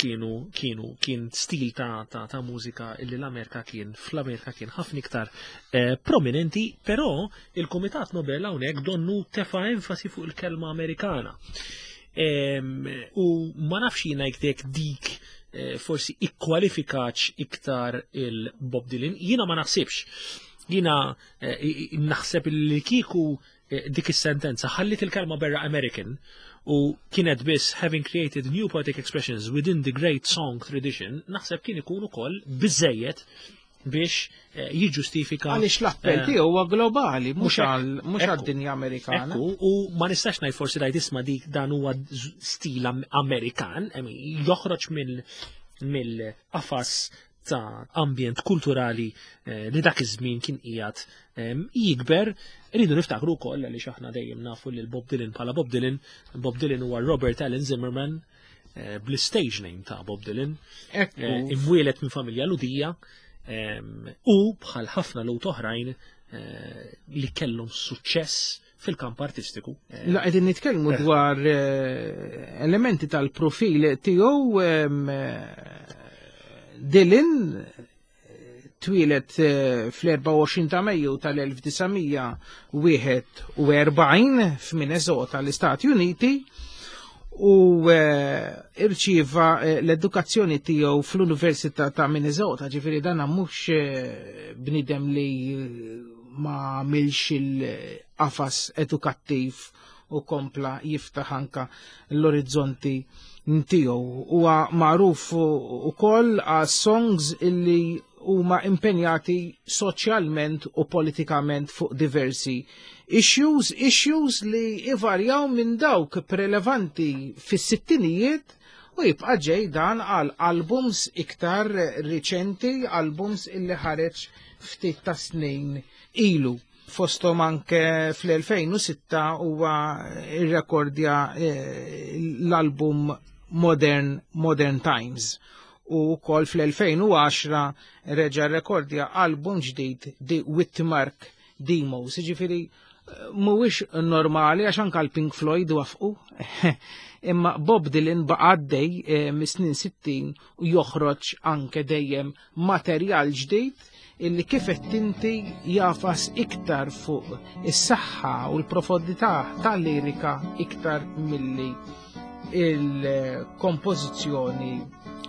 kienu kienu kien stil ta', ta, ta mużika illi l-Amerika kien fl-Amerika kien ħafna iktar eh, prominenti, però il-Kumitat Nobel hawnhekk donnu tefa' enfasi fuq il-kelma Amerikana. U ma nafx jiena jekk dik eh, forsi ikkwalifikax iktar il-Bob Dylan, jiena ma naħsibx. Jiena eh, naħseb li kieku eh, dik is-sentenza ħallit il-kelma berra American u kienet biss having created new poetic expressions within the great song tradition, naħseb kien ikun ukoll biżejjed biex eh, jiġġustifika. Għaliex l-appell eh, tiegħu huwa globali, mhux għad-dinja Amerikana. Ekku, u ma nistax ngħid forsi ngħid isma' dik dan huwa stil Amerikan, joħroġ mill-qafas ta' ambjent kulturali eh, li dak iż-żmien kien qiegħed jikber. Rridu niftakru wkoll għaliex aħna dejjem nafu lil Bob Dylan bħala Bob Dylan. Bob Dylan huwa Robert Allen Zimmerman bl-stage name ta' Bob Dylan. Imwielet minn familja Ludija u bħal ħafna Lhud oħrajn eh, li kellhom suċċess fil-kamp artistiku. La qegħdin nitkellmu dwar elementi tal-profil tiegħu Dylan twieled fl-24 ta' Mejju tal-1941 f'Minnesota l-Istati Uniti u eh, irċieva eh, l-edukazzjoni tiegħu fl-Università ta' Minnesota, ġifieri dan mhux eh, bniedem li ma għamilx il-qafas edukattiv u kompla jiftaħ anka l-orizzonti tiegħu. Huwa magħruf ukoll għas songs illi huma impenjati soċjalment u politikament fuq diversi issues, issues li ivarjaw minn dawk prelevanti fis-sittinijiet u jibqa' ġej dan għal albums iktar riċenti, albums illi ħareġ ftit ta' snin ilu. Fosthom anke fl-2006 huwa irrekordja eh, l-album Modern, Modern Times u wkoll fl-2010 reġa' rrekordja album ġdid The Witmark Demos. Jiġifieri mhuwiex normali għax anke l-Pink Floyd wafqu. Imma Bob Dylan baqa' għaddej eh, mis-snin 60 u joħroġ anke dejjem materjal ġdid illi kif qed inti jafas iktar fuq is-saħħa u l-profondità tal-lirika iktar milli il-kompożizzjoni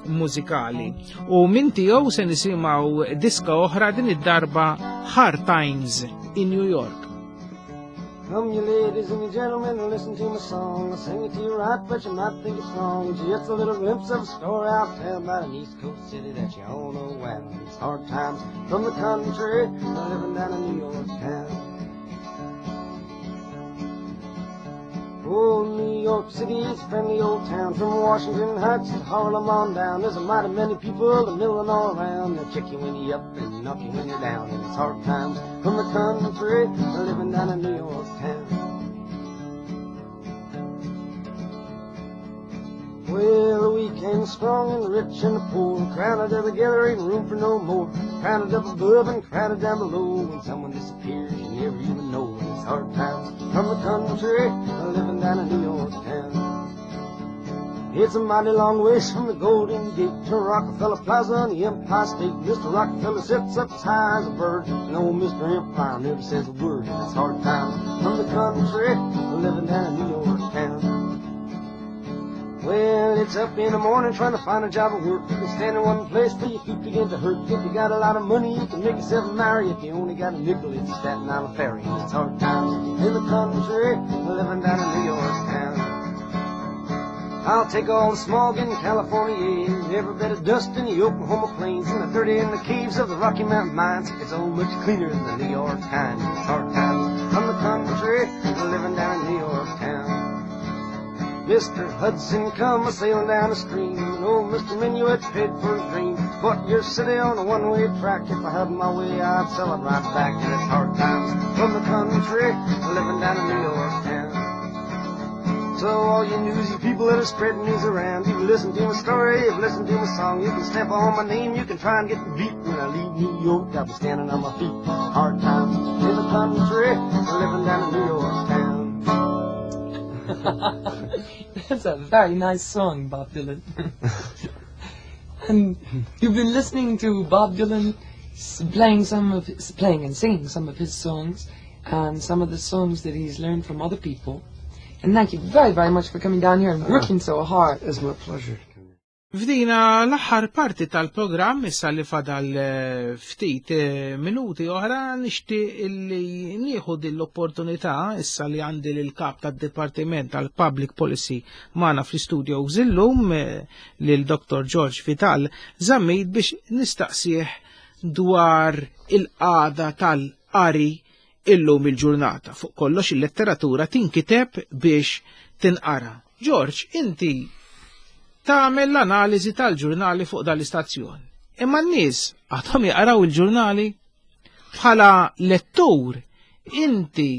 mużikali. U minn tiegħu se nisimgħu diska oħra din id-darba Hard Times in New York. Come, you ladies and you gentlemen, and listen to my song. I'll sing it to you right, but you might think it's wrong. Just a little glimpse of a story I'll tell about an East Coast city that you all know well. It's hard times from the country, living down in New York town. Oh, New York City's a friendly old town. From Washington Heights to Harlem on down, there's a mighty many people a milling all around. They'll kick you when you're up and knock you when you're down. And it's hard times from the country, living down in New York town. Well, the weak and the strong and the rich and the poor, crowded up together, ain't room for no more. Crowded up above and crowded down below. When someone disappears, you never even know. And it's hard times from the country, living down in New York town. It's a mighty long ways from the Golden Gate to Rockefeller Plaza and the Empire State. Mr. Rockefeller sits up as high as a bird, and old Mr. Empire never says a word. And it's hard times from the country, living down in New York town. Well, it's up in the morning trying to find a job of work. You can stand in one place till your feet begin to hurt. If you got a lot of money, you can make yourself marry. If you only got a nickel, it's a Staten Island ferry. And it's hard times in the country, living down in New York town. I'll take all the smog in California, every bit of dust in the Oklahoma plains, and the dirty in the caves of the Rocky Mountain mines. It's all much cleaner than the New York kind. It's hard times from the country, living down in New York town. Mr. Hudson come a sailing down the stream, and old Mr. Minuet paid for his dream. Put your city on a one-way track. If I had my way, I'd sell it right back. And it's hard times from the country, living down in New York town. So all you newsy people that are spreading news around, you've listened to my story, you've listened to my song. You can stamp on my name, you can try and get beat. When I leave New York, I'll be standing on my feet. Hard times in the country, living down in New York town. That's a very nice song, Bob Dylan. And you've been listening to Bob Dylan playing some of his, playing and singing some of his songs and some of the songs that he's learned from other people. And thank you very, very much for coming down here and working so hard. It's my pleasure. F'dina l-aħħar parti tal-programm issa li fadal eh, ftit eh, minuti oħra nixtieq illi nieħu din l-opportunità issa li għandi lil kap tad-Dipartiment tal-Public Policy magħna fl-istudio illum eh, lil Dr. George Vital Zammit biex nistaqsih dwar il-qagħda tal-qari illum il-ġurnata. Fuq kollox il-letteratura tinkiteb biex tinqara. George, inti tagħmel l-analiżi tal-ġurnali fuq dal-istazzjon. Imma n-nies għadhom jaqraw il-ġurnali bħala lettur inti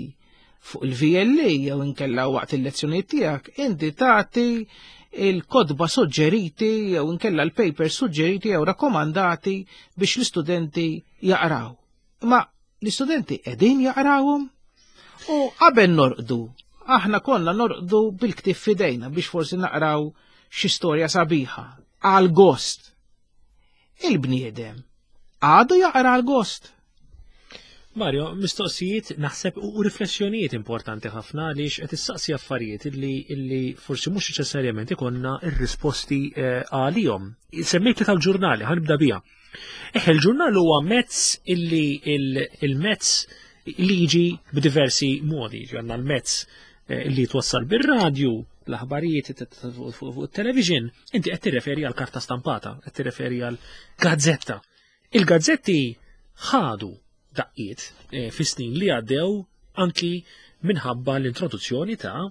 fuq il-VLA jew inkella waqt il-lezzjonijiet tiegħek inti tagħti il-kotba suġġeriti jew inkella l-papers suġġeriti jew rakkomandati biex l-istudenti jaqraw. Imma l-istudenti qegħdin jaqrawhom u qabel norqdu, aħna konna norqdu bil-ktieb f'idejna biex forsi naqraw xi storja sabiħa għal gost. Il-bniedem għadu jaqra għal gost. Mario, mistoqsijiet naħseb u riflessjonijiet importanti ħafna għaliex qed issaqsi affarijiet illi, illi forsi mhux neċessarjament ikonna r-risposti eh, għalihom. Semmejt tal-ġurnali, ħanibda biha. Eħe, il-ġurnal huwa mezz illi il-mezz li jiġi b'diversi modi, għandna l-mezz eh, li twassal bir-radju, l-aħbarijiet fuq it-television, inti qed tirreferi għal karta stampata, qed tirreferi għal gazzetta. Il-gazzetti ħadu daqqiet eh, fis-snin li għaddew anki minħabba l-introduzzjoni ta'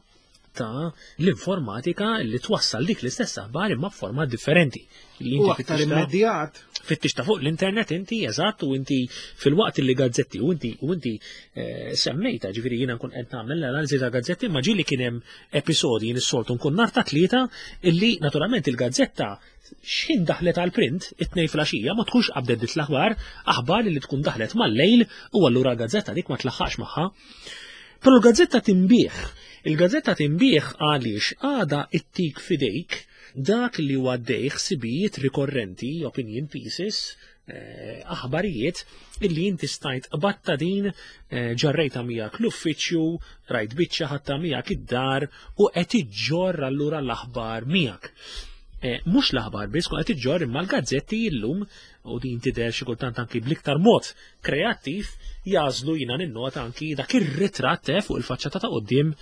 ta' l-informatika li twassal dik l-istess aħbar imma f'forma differenti. Li inti aktar immedjat. Fittixta fuq l-internet inti eżatt u inti fil-waqt li gazzetti u inti u inti eh, semmejta ġifieri jiena nkun qed nagħmel l-analiżi ta' gazzetti ma ġieli kien hemm episodji jien is-soltu nkun nar ta' tlieta illi naturalment il-gazzetta x'ħin daħlet għal print it-tnejn flaxija ma tkunx qabdet dit l-aħbar, aħbar li tkun daħlet mal-lejl u allura l-gazzetta dik ma tlaħħaqx magħha. Però l-gazzetta tinbih. Il-gazzetta tinbih għaliex għada ittik fidejk dak li huwa għaddej ħsibijiet rikorrenti, opinion pieces, eh, aħbarijiet illi inti stajt qbatta din eh, ġarrejta miegħek l-uffiċċju, rajt biċċa ħatta miegħek id-dar u qed iġġorr allura l-aħbar miegħek. Mhux l-aħbar biss tkun qed iġġorr imma l-gazzetti illum u din tidher xi kultant anki bl-iktar mod kreattiv jagħżlu jiena ninnota anki dak ir-ritratt fuq il-faċċata ta' quddiem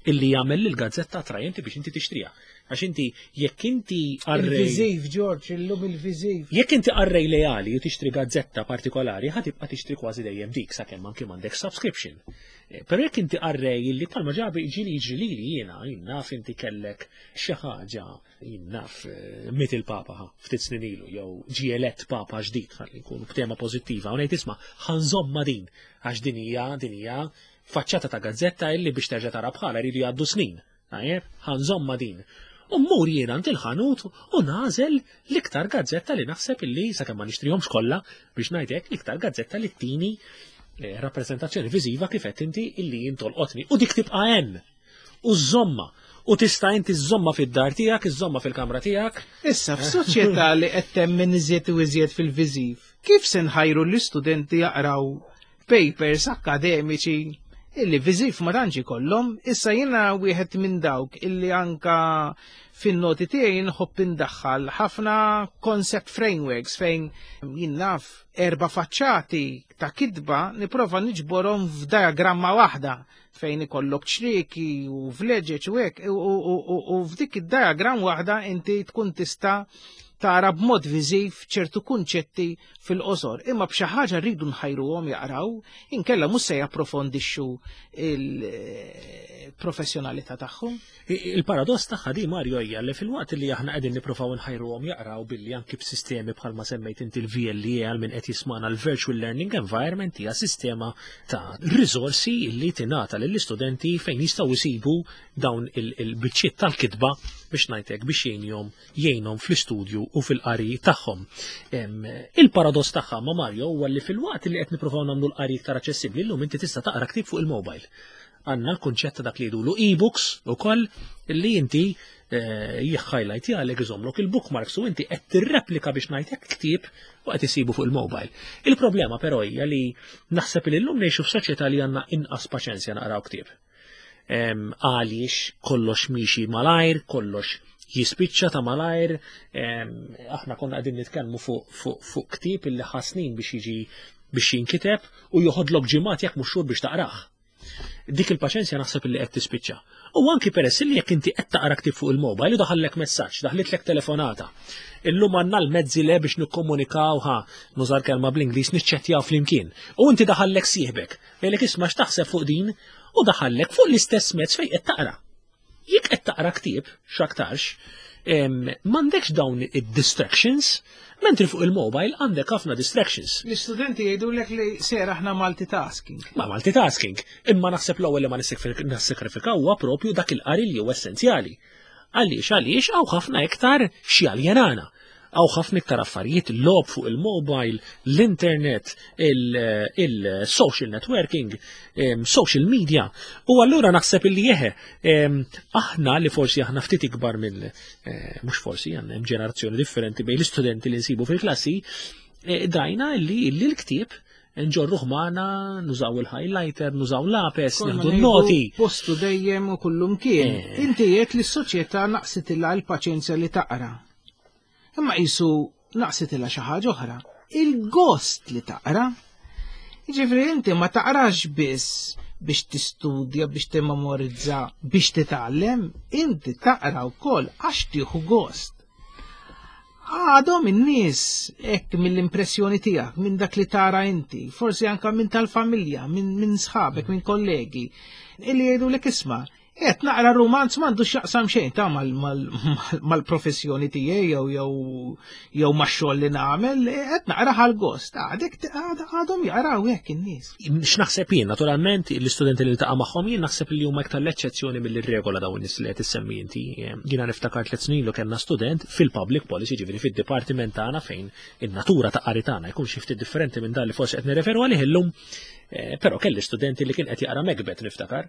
illi jagħmel lill-gazzetta attrajenti biex inti tixtriha. Għax inti jekk inti qarrej. Il-viżiv, George, illum il-viżiv. Jekk inti qarrej leali u tixtri gazzetta partikolari, ħa tibqa' tixtri kważi dejjem dik sakemm anki m'għandek subscription. Però jekk inti qarrej illi bħalma ġabi ġieli jiġri lili jiena, jien naf inti kellek xi ħaġa, jien naf miet il-Papa ħa, ftit snin ilu, jew ġie elett Papa ġdid, ħalli nkunu b'tema pożittiva, u ngħid isma' ħa nżommha din, għax din hija din hija faċċata ta' gazzetta illi biex terġa' tara bħalha jridu jgħaddu snin. Tajjeb, ħa nżommha din. U mmur jien għand il-ħanut u nagħżel l-iktar gazzetta li naħseb illi, sakemm ma nixtrihomx kollha, biex ngħid hekk, l-iktar gazzetta li ttini eh, rappreżentazzjoni viżiva kif qed inti illi jien tolqotni. U dik tibqa' hemm. U żżommha. U tista' inti żżommha fid-dar tiegħek, iżżommha fil-kamra tiegħek. Issa f'soċjetà li qed temmen iżjed u iżjed fil-viżiv, kif se nħajru l-istudenti jaqraw papers akkademiċi illi viżiv ma tantx ikollhom, issa jiena wieħed minn dawk illi anka fin-noti tiegħi nħobb indaħħal ħafna concept frameworks fejn jien naf erba' faċċati ta' kitba nipprova niġborhom f'diagramma waħda fejn ikollok ċrieki u vleġeġ u hekk u f'dik id-diagram waħda inti tkun tista' tara b'mod viżiv ċertu kunċetti fil-qosor, imma b'xi ħaġa rridu nħajruhom jaqraw, inkella mhux se japprofondixxu il-professjonalità tagħhom. Il-paradoss tagħha di Mario hija li filwaqt li aħna qegħdin nippruvaw nħajruhom jaqraw billi anki b'sistemi bħalma semmejt inti l-VLE għal min qed jismana l-Virtual Learning Environment hija sistema ta' riżorsi li tingħata lill-istudenti fejn jistgħu jsibu dawn il-biċċiet tal-kitba biex ngħidlek biex jgħinhom jgħinhom fl-istudju u fil-qari tagħhom. Il-paradoss tagħha ma' Mario huwa li filwaqt li qed nippruvaw nagħmlu l-qari iktar aċċessibbli llum inti tista' taqra ktieb fuq il-mobile. Għandna l-kunċett ta' dak li jgħidulu e-books ukoll li inti eh, jihhighlight jgħalek iżomlok il-bookmarks u inti qed tirreplika biex ngħidlek ktieb u qed isibu fuq il-mobile. Il-problema però hija li naħseb li llum ngħixu f'soċjetà li għandna inqas paċenzja naqraw ktieb. Għaliex kollox miexi malajr, kollox jispiċċa ta' malajr, aħna konna qegħdin nitkellmu fuq ktieb illi ħa snin biex jiġi biex jinkiteb u joħodlok ġimgħat jekk mhux xhur biex taqrah. Dik il-paċenzja naħseb illi qed tispiċċa. U anki peress li jekk inti qed taqra ktieb fuq il-mobile u daħallek messaġġ, daħlitlek telefonata. Illum għandna l-mezzi le biex nikkomunikaw ħa, nużar kelma bl-Ingliż niċċettjaw flimkien. U inti daħallek sieħbek. Jgħidlek isma' x'taħseb fuq din u daħallek fuq l-istess mezz fejn qed taqra. Jekk qed taqra ktieb, x'aktarx, m'għandekx dawn id-distractions, mentri fuq il-mobile għandek ħafna distractions. L-istudenti jgħidulek li ser aħna multitasking. Ma multitasking, imma naħseb l-ewwel li ma nissakrifikaw huwa propju dak il-qari li huwa essenzjali. Għaliex, għaliex hawn ħafna iktar x'jaljenana. Hawn ħafna iktar affarijiet, logħob fuq il-mobile, l-internet, il-social networking, social media. U allura naħseb illi jeħe, aħna li forsi aħna ftit ikbar minn, eh, mhux forsi, għandna hemm ġenerazzjoni differenti bejn l-istudenti li nsibu fil-klassi, eh, drajna illi l-ktieb nġorruh magħna, nużaw il-highlighter, nużaw lapes, nieħdu n-noti. Postu dejjem u kullum kien. Eh. Inti qed li s-soċjetà naqsitilha l-paċenzja li taqra. Imma qisu naqsitilha xi ħaġa oħra, il-gost li taqra. Jiġifieri inti ma taqrax biss biex tistudja, biex timmemorizza, biex titgħallem, inti taqra wkoll għax tieħu gost. Għadhom in-nies hekk mill-impressjoni tiegħek, minn dak li tara inti, forsi anka minn tal-familja, minn sħabek, minn kollegi, illi jgħidulek isma' Qed naqra rumanz m'għandu x'jaqsam xejn ta' mal-professjoni tiegħi jew jew jew max-xogħol li nagħmel, qed naqra ħal-gost. Għadek għadhom jaqraw hekk in-nies. X'naħseb jien, naturalment, l-istudenti li ltaqa' magħhom jien naħseb li huma iktar l-eċċezzjoni mill-regola dawn nies li qed issemmi inti. Jiena niftakar tliet snin ilu kellna student fil-public policy, ġifieri fid-dipartiment tagħna fejn in-natura ta' qari tagħna jkun xi ftit differenti minn dan li forsi qed nirreferu għalih illum, eh, però kelli studenti li kien qed jaqra Macbeth niftakar.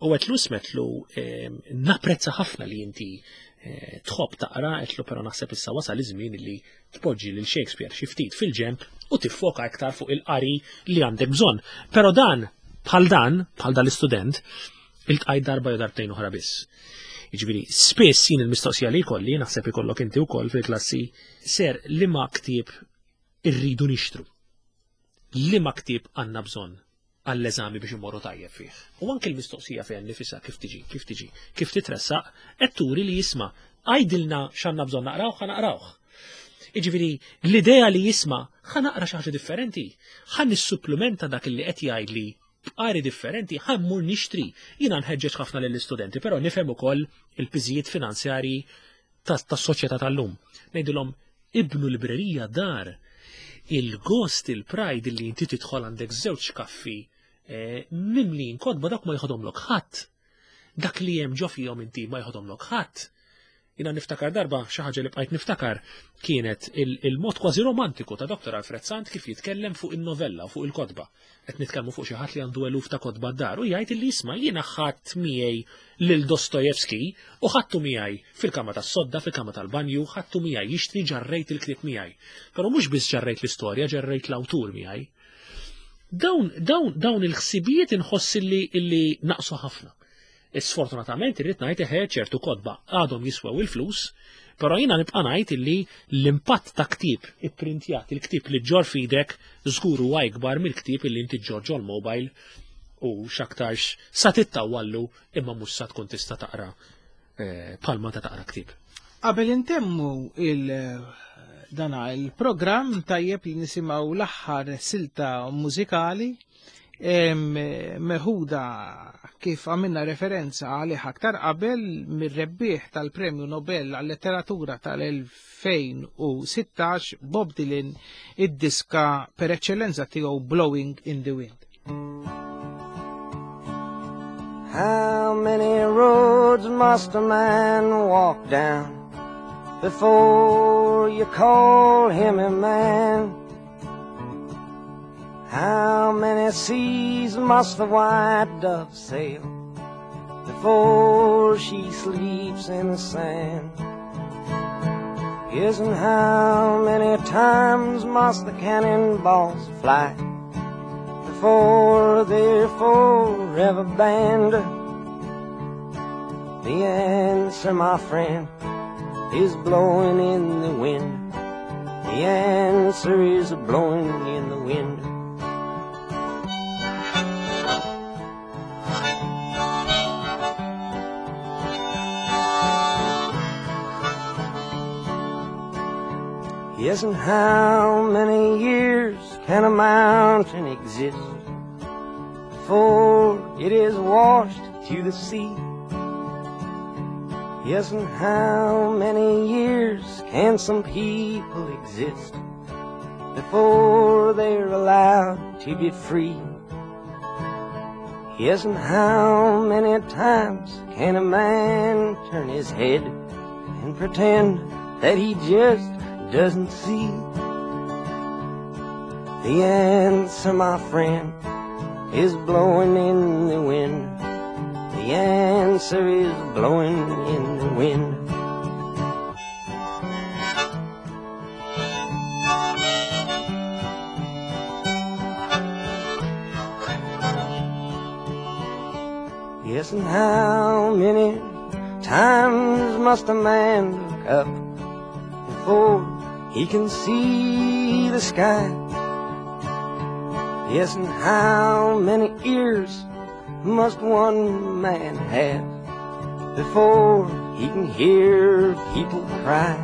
U għetlu smetlu ehm, napprezza ħafna li inti eh, tħobb taqra, għetlu però naħseb issa wasal iż-żmien li tpoġġi lil Shakespeare xi ftit fil-ġemp u tiffoka iktar fuq il-qari li għandek bżonn. Però dan, bħal dan, bħal dan l-istudent, iltqajt darba jew darbtejn oħra biss. Jiġifieri, spiss jien il-mistoqsija li jkolli, naħseb ikollok inti wkoll fil-klassi, ser liema ktieb irridu nixtru. Liema ktieb għandna bżonn għall-eżami biex immorru tajjeb fih. U anke l-mistoqsija fejn nifisha kif tiġi, kif tiġi, kif titressaq, qed turi li jisma' għidilna x'għandna bżonn naqrawh, ħa naqrawh. Jiġifieri l-idea li jisma' ħa naqra xi ħaġa differenti, ħa nissupplimenta dak li qed jgħidli b'qari differenti, ħa mmur nixtri. Jiena nħeġġeġ ħafna lill-istudenti, però nifhem ukoll il-piżijiet finanzjarji tas-soċjetà tal-lum. Ngħidilhom ibnu librerija dar il-gost, il-pride li inti tidħol għandek żewġ kaffi eh, mimlin kotba dak ma jħodhomlok ħadd. Dak li hemm ġo fihom inti ma jħodhomlok ħadd. Jiena niftakar darba xi ħaġa li bqajt niftakar kienet il-mod kważi romantiku ta' Dr. Alfred Sant kif jitkellem fuq in-novella u fuq il-kotba. Qed nitkellmu fuq xi ħadd li għandu eluf ta' kotba d-dar u jgħid li jisma' jiena ħadd miegħi lil Dostojevski u ħadtu miegħi fil-kamra tas-sodda, fil-kamra tal-banju, ħadtu miegħi jixtri ġarrejt il-ktieb miegħi. Però mhux biss ġarrejt l-istorja, ġarrejt l-awtur miegħi. Dawn, dawn, dawn il-ħsibijiet inħoss illi, illi naqsu ħafna. Sfortunatament irrid ngħid eħe ċertu kotba għadhom jiswew il-flus, però jiena nibqa' ngħid illi l-impatt ta' ktieb ipprintjat, il-ktieb li ġġorr f'idek żgur huwa ikbar mill-ktieb illi inti ġġorr ġol-mobile u x'aktarx sa tittawwallu imma mhux sa tkun tista' taqra eh, bħalma ta' taqra ktieb. Qabel intemmu il dana il-programm tajjeb li nisimgħu l-aħħar silta mużikali meħuda kif għamilna referenza għalih aktar qabel mir-rebbieħ tal-Premju Nobel għal-Letteratura tal-2016 Bob Dylan id-diska per eċċellenza tiegħu Blowing in the Wind. How many roads must a man walk down before you call him a man? How many seas must the white dove sail before she sleeps in the sand? Yes, and how many times must the cannonballs fly before they're forever banned? The answer, my friend, is blowing in the wind. The answer is blowing in the wind. Yes, and how many years can a mountain exist before it is washed to the sea? Yes, and how many years can some people exist before they're allowed to be free? Yes, and how many times can a man turn his head and pretend that he just doesn't see? The answer, my friend, is blowing in the wind. The answer is blowing in the wind. Yes, and how many times must a man look up before he can see the sky? Yes, and how many ears must one man have before he can hear people cry?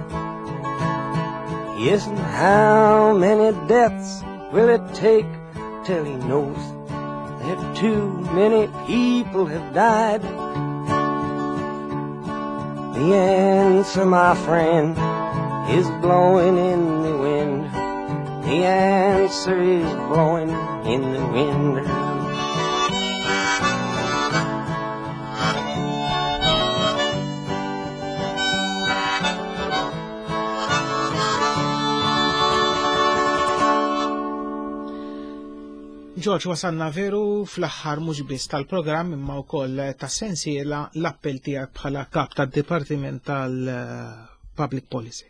Yes, and how many deaths will it take till he knows that too many people have died? The answer, my friend, is blowing in the wind. The answer is blowing in the wind. George, wasalna veru fl-aħħar mhux biss tal-programm imma wkoll tas-sensiela l-appell tiegħek bħala kap tad-Dipartiment tal- Public Policy.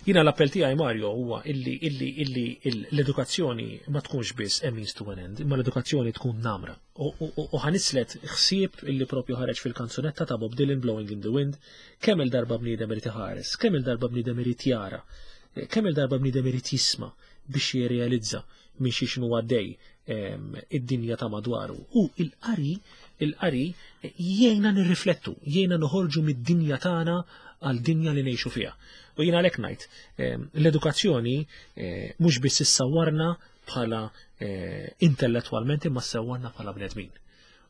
Jiena l-appell tiegħi Mario huwa illi illi illi l-edukazzjoni ma tkunx biss a means to an end, imma l-edukazzjoni tkun namra. U ħanislet ħsieb illi propju ħareġ fil-kanzunetta ta' Bob Dylan Blowing in the Wind, kemm il-darba bniedem irid iħares, kemm il-darba bniedem irid jara, kemm il-darba bniedem irid jisma' biex jirrealizza minn xi x'inhu għaddej id-dinja ta' madwaru. U il-qari, il-qari jgħinna nirriflettu, jgħinna noħorġu mid-dinja tagħna għal dinja li ngħixu fiha. U jiena għalhekk ngħid, l-edukazzjoni eh, mhux biss issawwarna bħala eh, intellettwalment imma ssawwarna bħala bnedmin.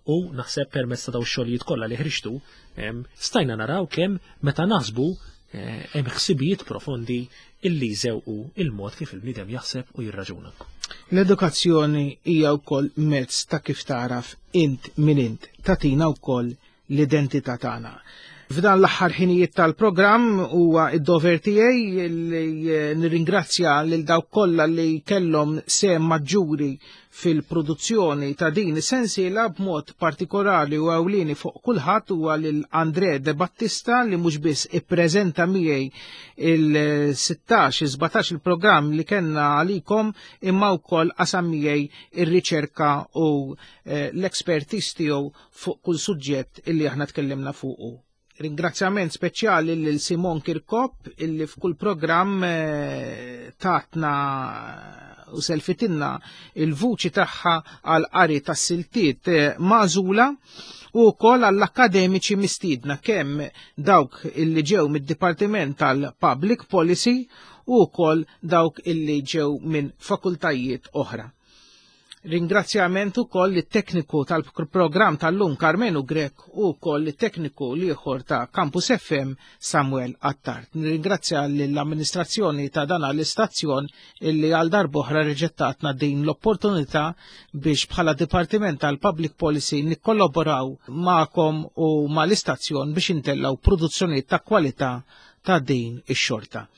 U naħseb permezz ta' daw xogħlijiet kollha li ħriġtu, stajna naraw kemm meta naħsbu eh, hemm ħsibijiet profondi illi jżewqu il-mod kif il-bniedem jaħseb u jirraġuna. L-edukazzjoni hija wkoll mezz ta' kif taraf int min int, tatina wkoll l-identità tagħna. F'dan l-aħħar ħinijiet tal-programm huwa id-dover tiegħi li eh, nirringrazzja lil dawk kollha li kellhom sehem maġġuri fil-produzzjoni ta' din is-sensiela b'mod partikolari u ewlieni fuq kulħadd huwa lil Andre De Battista li mhux biss ippreżenta miegħi il-16 17 il-programm li kellna għalikom imma wkoll qasam miegħi ir-riċerka u eh, l-ekspertiż tiegħu fuq kull suġġett illi aħna tkellimna fuqu. Ringrazzjament speċjali lil Simon Kirkop illi f'kull programm eh, tatna u selfitinna il-vuċi tagħha għal qari tas-siltiet eh, magħżula u wkoll għall-akademiċi mistiedna kemm dawk illi ġew mid-Dipartiment tal-Public Policy u wkoll dawk illi ġew minn fakultajiet oħra. Ringrazzjament ukoll lit-tekniku tal-programm tal-lum Karmenu Grech u wkoll lit-tekniku l-ieħor ta' Campus FM Samuel Attard. Nirringrazzja lill-amministrazzjoni ta' dan l-istazzjon illi għal darb'oħra reġettatna din l-opportunità biex bħala Dipartiment tal-Public Policy nikkollaboraw magħkom u mal-istazzjon biex intellaw produzzjonijiet ta' kwalità ta' din ix-xorta.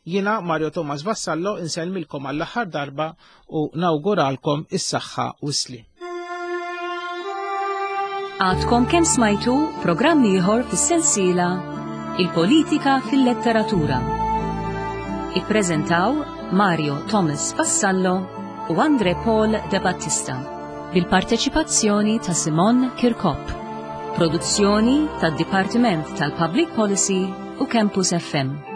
Jiena Mario Thomas Vassallo insellmilkom għall-aħħar darba u nawguralkom is-saħħa u s-sliem. Għadkom kemm smajtu programm ieħor fis-sensiela Il-Politika fil-Letteratura. Ippreżentaw Mario Thomas Vassallo u Andre Paul De Battista bil-parteċipazzjoni ta' Simon Kirkop. Produzzjoni tad-Dipartiment tal-Public Policy u Campus FM.